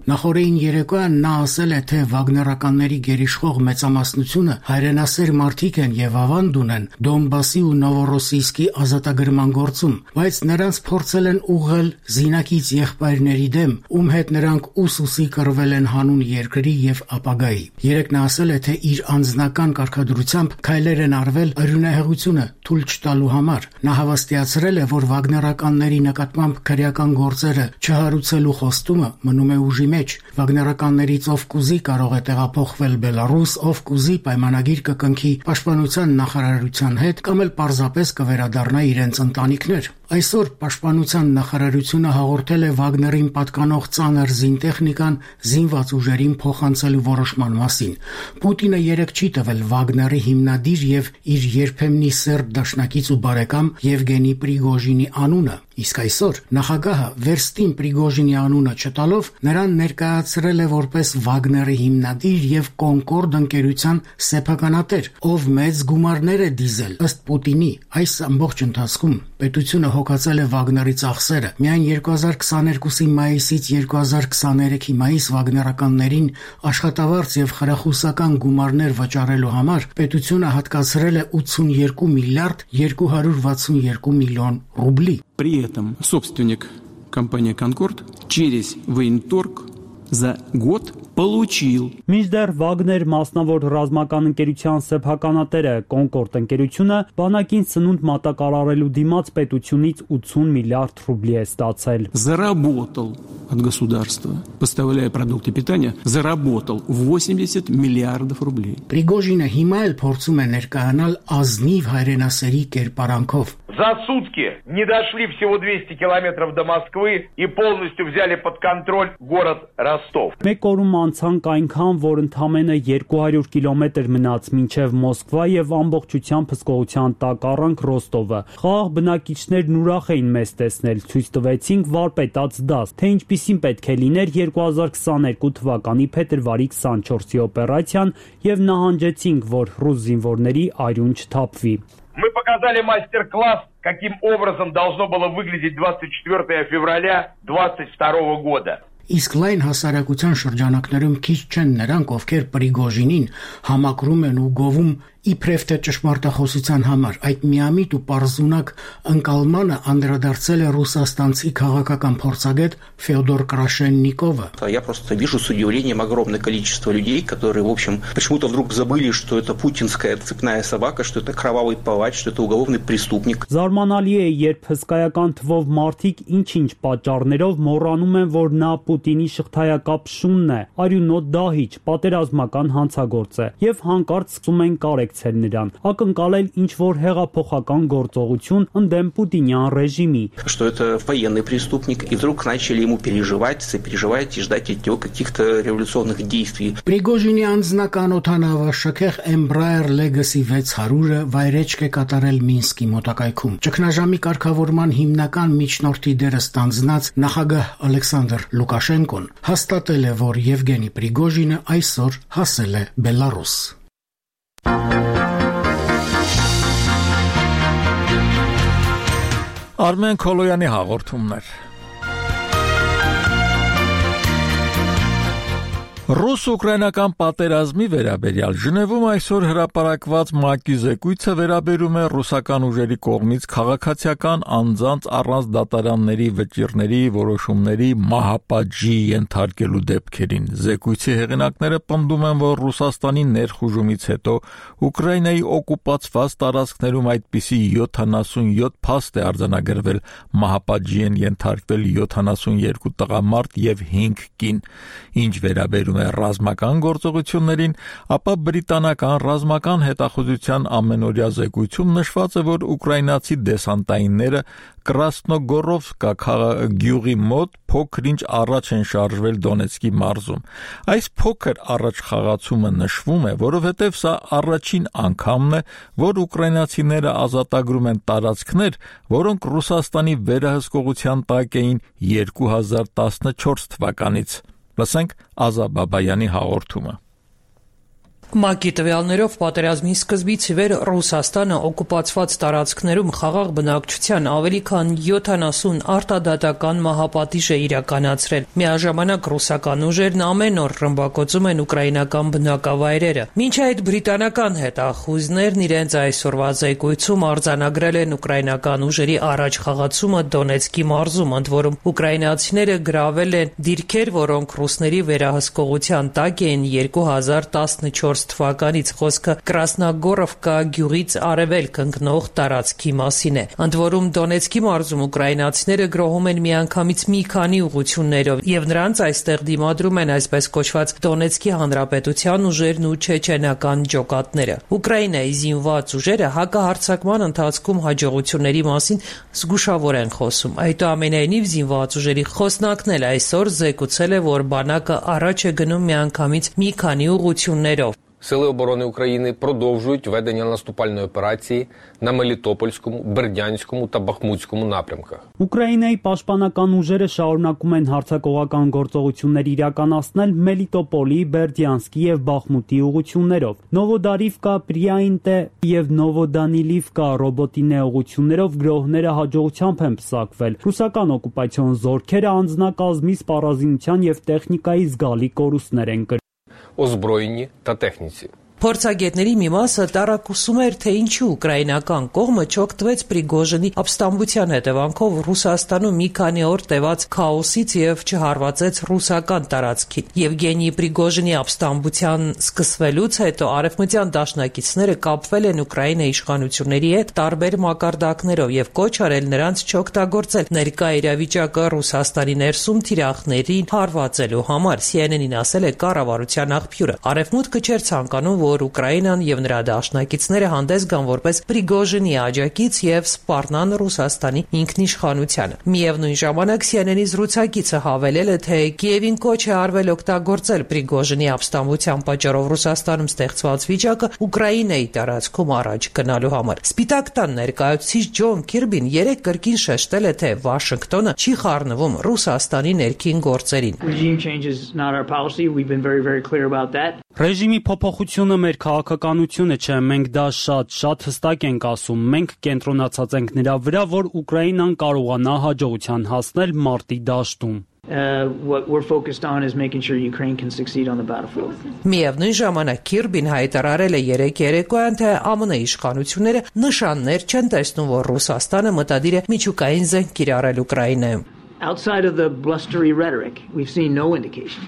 Նախորդին երեկոյան նա ասել է, թե վագներականների գերիշխող մեծամասնությունը հայրենասեր մարդիկ են եւ ավանդ ունեն Դոնբասի ու Նովորոսիյսկի ազատագրման գործում, բայց նրանց փորձել են ուղղել զինակից եղբայրների դեմ, ում հետ նրանք ուսուսի կռվել են հանուն երկրի եւ ապագայի։ Երեկ նա ասել է, թե իր անձնական կարգադրությամբ քայլեր են արվել արյունահեղությունը թույլ չտալու համար։ Նա հավաստիացրել է, որ վագներականների նկատմամբ քրեական գործերը չհարուցելու խոստումը մնում է ուժի մեջ։ Վագներականներից ով կուզի կարող է տեղափոխվել Բելարուս, ով կուզի պայմանագիր կկնքի Պաշտպանության նախարարության հետ կամ էլ պարզապես կվերադառնա իրենց ընտանիքներ։ Այսօր Պաշտպանության նախարարությունը հաղորդել է Վագներին պատկանող ծանր զինտեխնիկան զինված ուժերին փոխանցելու որոշման մասին։ Պուտինը երեկ չի տվել Վագների հիմնադիր եւ իր երբեմնի սերտ դաշնակից ու բարեկամ Եվգենի Պրիգոժինի անունը, իսկ այսօր նախագահը Վերստին Պրիգոժինի անունը չտալով նրան ներկայացրել է որպես Վագների հիմնադիր եւ Կոնկորդ ընկերության սեփականատեր, ով մեծ գումարներ է դիզել ըստ Պուտինի։ Այս ամբողջ ընթացքում պետությունը հոգացել է Վագների ծախսերը։ Միայն 2022-ի մայիսից 2023-ի մայիս վագներականներին աշխատավարձ եւ խրախուսական գումարներ վճարելու համար պետությունը հատկացրել է 82 միլիարդ 262 միլիոն ռուբլի։ При этом собственник компании «Конкорд» через военторг за год получил. Մինչդեռ Վագներ մասնավոր ռազմական ընկերության սեփականատերը Կոնկորդ ընկերությունը բանակին սնունդ մատակարարելու դիմաց պետությունից 80 միլիարդ ռուբլի է ստացել։ Заработал от государства, поставляя продукты питания, заработал 80 миллиардов рублей. Պրիգոժինը հիմա էլ փորձում է ներկայանալ ազնիվ հայրենասերի կերպարանքով։ За сутки не дошли всего 200 километров до Москвы и полностью взяли под контроль город Ростов. Մեկ օրում անցանք այնքան, որ ընդամենը 200 կիլոմետր մնաց մինչև Մոսկվա եւ ամբողջությամբ հսկողության տակ առանք Ռոստովը։ Խաղաղ բնակիչներն ուրախ էին մեզ տեսնել, ցույց տվեցինք վարպետաց դաս, թե ինչպիսին պետք է լիներ 2022 թվականի փետրվարի 24-ի օպերացիան եւ նահանջեցինք, որ ռուս զինվորների արյուն չթափվի։ Мы показали мастер-класс, каким образом должно было выглядеть 24 февраля 2022 года. Իսկ լայն հասարակության շրջանակներում քիչ չեն նրանք, ովքեր Պրիգոժինին համակրում են ու գովում իբրև թե ճշմարտախոսության համար։ Այդ միամիտ ու պարզունակ ընկալմանը անդրադարձել է ռուսաստանցի քաղաքական փորձագետ Ֆեոդոր Крашенникова. Я просто вижу с удивлением огромное количество людей, которые, в общем, почему-то вдруг забыли, что это путинская цепная собака, что это кровавый палач, что это уголовный преступник. Զարմանալի է, երբ հսկայական թվով մարդիկ ինչ-ինչ պատճառներով մոռանում են, որ նա Պուտինի շղթայակապ շունն է, արյունոտ դահիճ, պատերազմական հանցագործ է, եւ հանկարծ սկսում են կարեկցել աջակցել նրան, ակնկալել ինչ-որ հեղափոխական գործողություն ընդդեմ Պուտինյան ռեժիմի։ Что это военный преступник, и вдруг начали ему переживать и ждать от него каких-то революционных действий. Պրիգոժինի անձնական օդանավաշքեղ Embraer Legacy 600-ը վայրեջք է կատարել Մինսկի մոտակայքում։ Ճգնաժամի կարգավորման հիմնական միջնորդի դերը ստանձնած նախագահ Ալեքսանդր Լուկաշենկոն հաստատել է, որ Եվգենի Պրիգոժինը այսօր հասել է Բելարուս։ Արմեն Քոլոյանի հաղորդումներ։ Ռուս-ուկրաինական պատերազմի վերաբերյալ Ժնևում այսօր հրապարակված ՄԱԿ-ի զեկույցը վերաբերում է ռուսական ուժերի կողմից քաղաքացիական անձանց առանց դատարանների վճիռների որոշումների մահապատժի ենթարկելու դեպքերին։ Զեկույցի հեղինակները պնդում են, որ Ռուսաստանի ներխուժումից հետո Ուկրաինայի օկուպացված տարածքներում այդպիսի 77 փաստ է արձանագրվել, մահապատժի են ենթարկվել 72 տղամարդ եւ 5 կին։ Ինչ վերաբերում է ռազմական գործողություններին, ապա բրիտանական ռազմական հետախուզության ամենօրյա զեկույցում նշված է, որ ուկրաինացի դեսանտայինները Կրասնոգորովկա գյուղի մոտ փոքր-ինչ առաջ են շարժվել Դոնեցկի մարզում։ Այս փոքր առաջխաղացումը նշվում է, որովհետև սա առաջին անգամն է, որ ուկրաինացիները ազատագրում են տարածքներ, որոնք Ռուսաստանի վերահսկողության տակ էին 2014 թվականից։ Լսենք Ազա Բաբայանի հաղորդումը։ ՄԱԿ-ի տվյալներով պատերազմի սկզբից ի վեր Ռուսաստանը օկուպացված տարածքներում խաղաղ բնակչության ավելի քան 70 արտադատական մահապատիժ է իրականացրել։ Միաժամանակ ռուսական ուժերն ամեն օր ռմբակոծում են ուկրաինական բնակավայրերը։ Մինչ այդ բրիտանական հետախուզներն իրենց այսօրվա զեկույցում արձանագրել են ուկրաինական ուժերի առաջխաղացումը Դոնեցկի մարզում, ընդ որում ուկրաինացիները գրավել են դիրքեր, որոնք ռուսների վերահսկողության տակ էին 2014 թվականից, խոսքը Կրասնագորովկա գյուղից արևելք ընկնող տարածքի մասին է։ Ընդ որում Դոնեցկի մարզում ուկրաինացիները գրոհում են միանգամից մի քանի ուղղություններով եւ նրանց այստեղ դիմադրում են այսպես կոչված Դոնեցկի հանրապետության ուժերն ու չեչենական ջոկատները։ Ուկրաինայի զինված ուժերը հակահարձակման ընթացքում հաջողությունների մասին զգուշավոր են խոսում։ Այդուամենայնիվ զինված ուժերի խոսնակն էլ այսօր զեկուցել է, որ բանակը առաջ է գնում միանգամից մի քանի ուղղություններով։ Сили оборони України продовжують ведення наступальної операції на Мелітопольському, Бердянському та Бахмутському напрямках. Ուկրաինայի պաշտպանական ուժերը շարունակում են հարձակողական գործողություններ իրականացնել Մելիտոպոլի, Բերդյանսկի եւ Բախմուտի ուղղություններով։ Նովոդարիվկա, Պրիայինտե եւ Նովոդանիլիվկա ռոբոտինե ուղղություններով գրոհները հաջողությամբ են պսակվել։ Ռուսական օկուպացիոն զորքերը անձնակազմի սպառազինության եւ տեխնիկայի զգալի կորուստներ են Озброєнні та техніці. Փորձագետների մի մասը տարակուսում էր, թե ինչու ուկրաինական կողմը չօգտվեց Պրիգոժինի ապստամբության հետևանքով Ռուսաստանում մի քանի օր տևած քաոսից եւ չհարվածեց ռուսական տարածքին։ Եվգենի Պրիգոժինի ապստամբության սկսվելուց հետո արևմտյան դաշնակիցները կապվել են Ուկրաինայի իշխանությունների հետ տարբեր մակարդակներով եւ կոչ արել նրանց չօգտագործել ներկա իրավիճակը Ռուսաստանի ներսում թիրախներին հարվածելու համար։ CNN-ին ասել է կառավարության աղբյուրը։ Արևմուտքը չէր ցանկանում, որ Ուկրաինան եւ նրա դաշնակիցները հանդես գան որպես Պրիգոժինի աջակից եւ սպառնան Ռուսաստանի ինքնիշխանությանը։ Միևնույն ժամանակ CNN-ի զրուցակիցը հավելել է, թե Կիևին կոչ է արվել օգտագործել Պրիգոժինի ապստամբության պատճառով Ռուսաստանում ստեղծված վիճակը Ուկրաինայի տարածքում առաջ գնալու համար։ Սպիտակ տան ներկայացուցիչ Ջոն Քիրբին երեկ կրկին շեշտել է, թե Վաշինգտոնը չի խառնվում Ռուսաստանի ներքին գործերին։ Ռեժիմի փոփոխությունը մեր քաղաքականությունը չէ, մենք դա շատ հստակ ենք ասում, մենք կենտրոնացած ենք նրա վրա, որ Ուկրաինան կարողանա հաջողության հասնել մարտի դաշտում։ What we're focused on is making sure Ukraine can succeed on the battlefield. Միևնույն ժամանակ Քիրբին հայտարարել է երեկ երեկոյան, թե ԱՄՆ իշխանությունները նշաններ չեն տեսնում, որ Ռուսաստանը մտադիր է միջուկային զենք կիրառել Ուկրաինայում։ Outside of the blustery rhetoric, we've seen no indication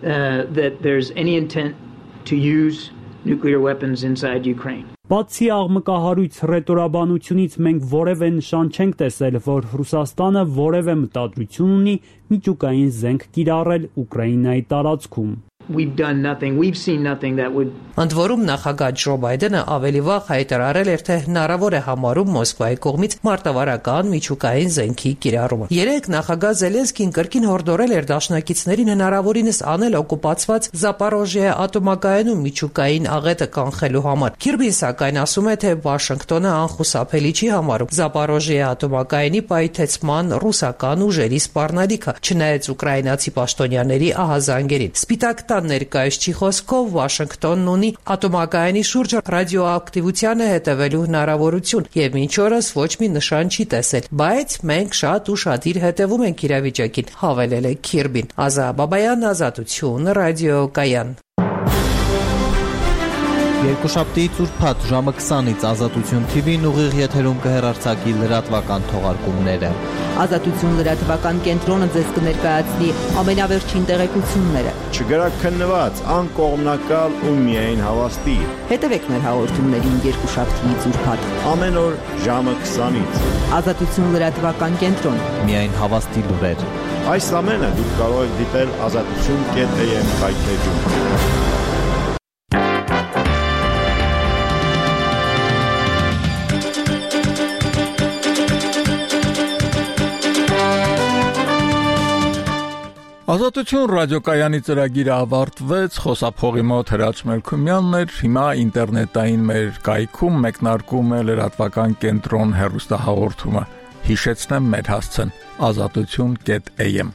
that there's any intent to use nuclear weapons inside Ukraine. Բացի աղմկահարույց ռետորաբանությունից մենք որևէ նշան չենք տեսել, որ Ռուսաստանը որևէ մտադրություն ունի միջուկային զենք կիրառել Ուկրաինայի տարածքում։ We've done nothing. We've seen nothing that would Ընդ որում նախագահ Ջո Բայդենը ավելի վաղ հայտարարել էր, թե հնարավոր է համարում Մոսկվայի կողմից մարտավարական միջուկային զենքի կիրառումը։ Երեկ նախագահ Զելենսկին կրկին հորդորել էր դաշնակիցներին հնարավորինս անել օկուպացված Զապորոժիա ատոմակայանում միջուկային աղետը կանխելու համար։ Քիրբին սակայն ասում է, թե Վաշինգտոնը անխուսափելի չի համարում Զապորոժիա ատոմակայանի պայթեցման ռուսական ուժերի սպառնալիքը, չնայած ուկրաինացի պաշտոնյաների ահազանգերին։ Սպիտակ տան ներկայացուցիչի խոսքով Վաշինգտոնն ունի ատոմակայանի շուրջ ռադիոակտիվությանը հետևելու հնարավորություն եւ մինչ օրս ոչ մի նշան չի տեսել, բայց մենք շատ ուշադիր հետևում ենք իրավիճակին, հավելել է Քիրբին։ Ազա Բաբայան, Ազատություն, ռադիոկայան։ Երկուշաբթի ծուրփաթ ժամը 20-ից Ազատություն TV-ն ուղիղ եթերում կհեռարձակի լրատվական թողարկումները։ Ազատություն լրատվական կենտրոնը ձեզ կներկայացնի ամենավերջին տեղեկությունները։ Չգրակ քննված, անկողմնակալ ու միայն հավաստի։ Հետևեք մեր հաղորդումներին երկուշաբթի ծուրփաթ։ Ամեն օր ժամը 20-ից։ Ազատություն լրատվական կենտրոն։ Միայն հավաստի լուրեր։ Այս ամենը դուք կարող եք դիտել azatutun.am հայթեջում։ Ազատություն ռադիոկայանի ծրագիրը ավարտվեց, խոսափողի մոտ Հրաչ Մելքումյանն էր, հիմա ինտերնետային մեր կայքում մեկնարկում է լրատվական կենտրոն հեռուստահաղորդումը։ Հիշեցնեմ մեր հասցեն azatutun.am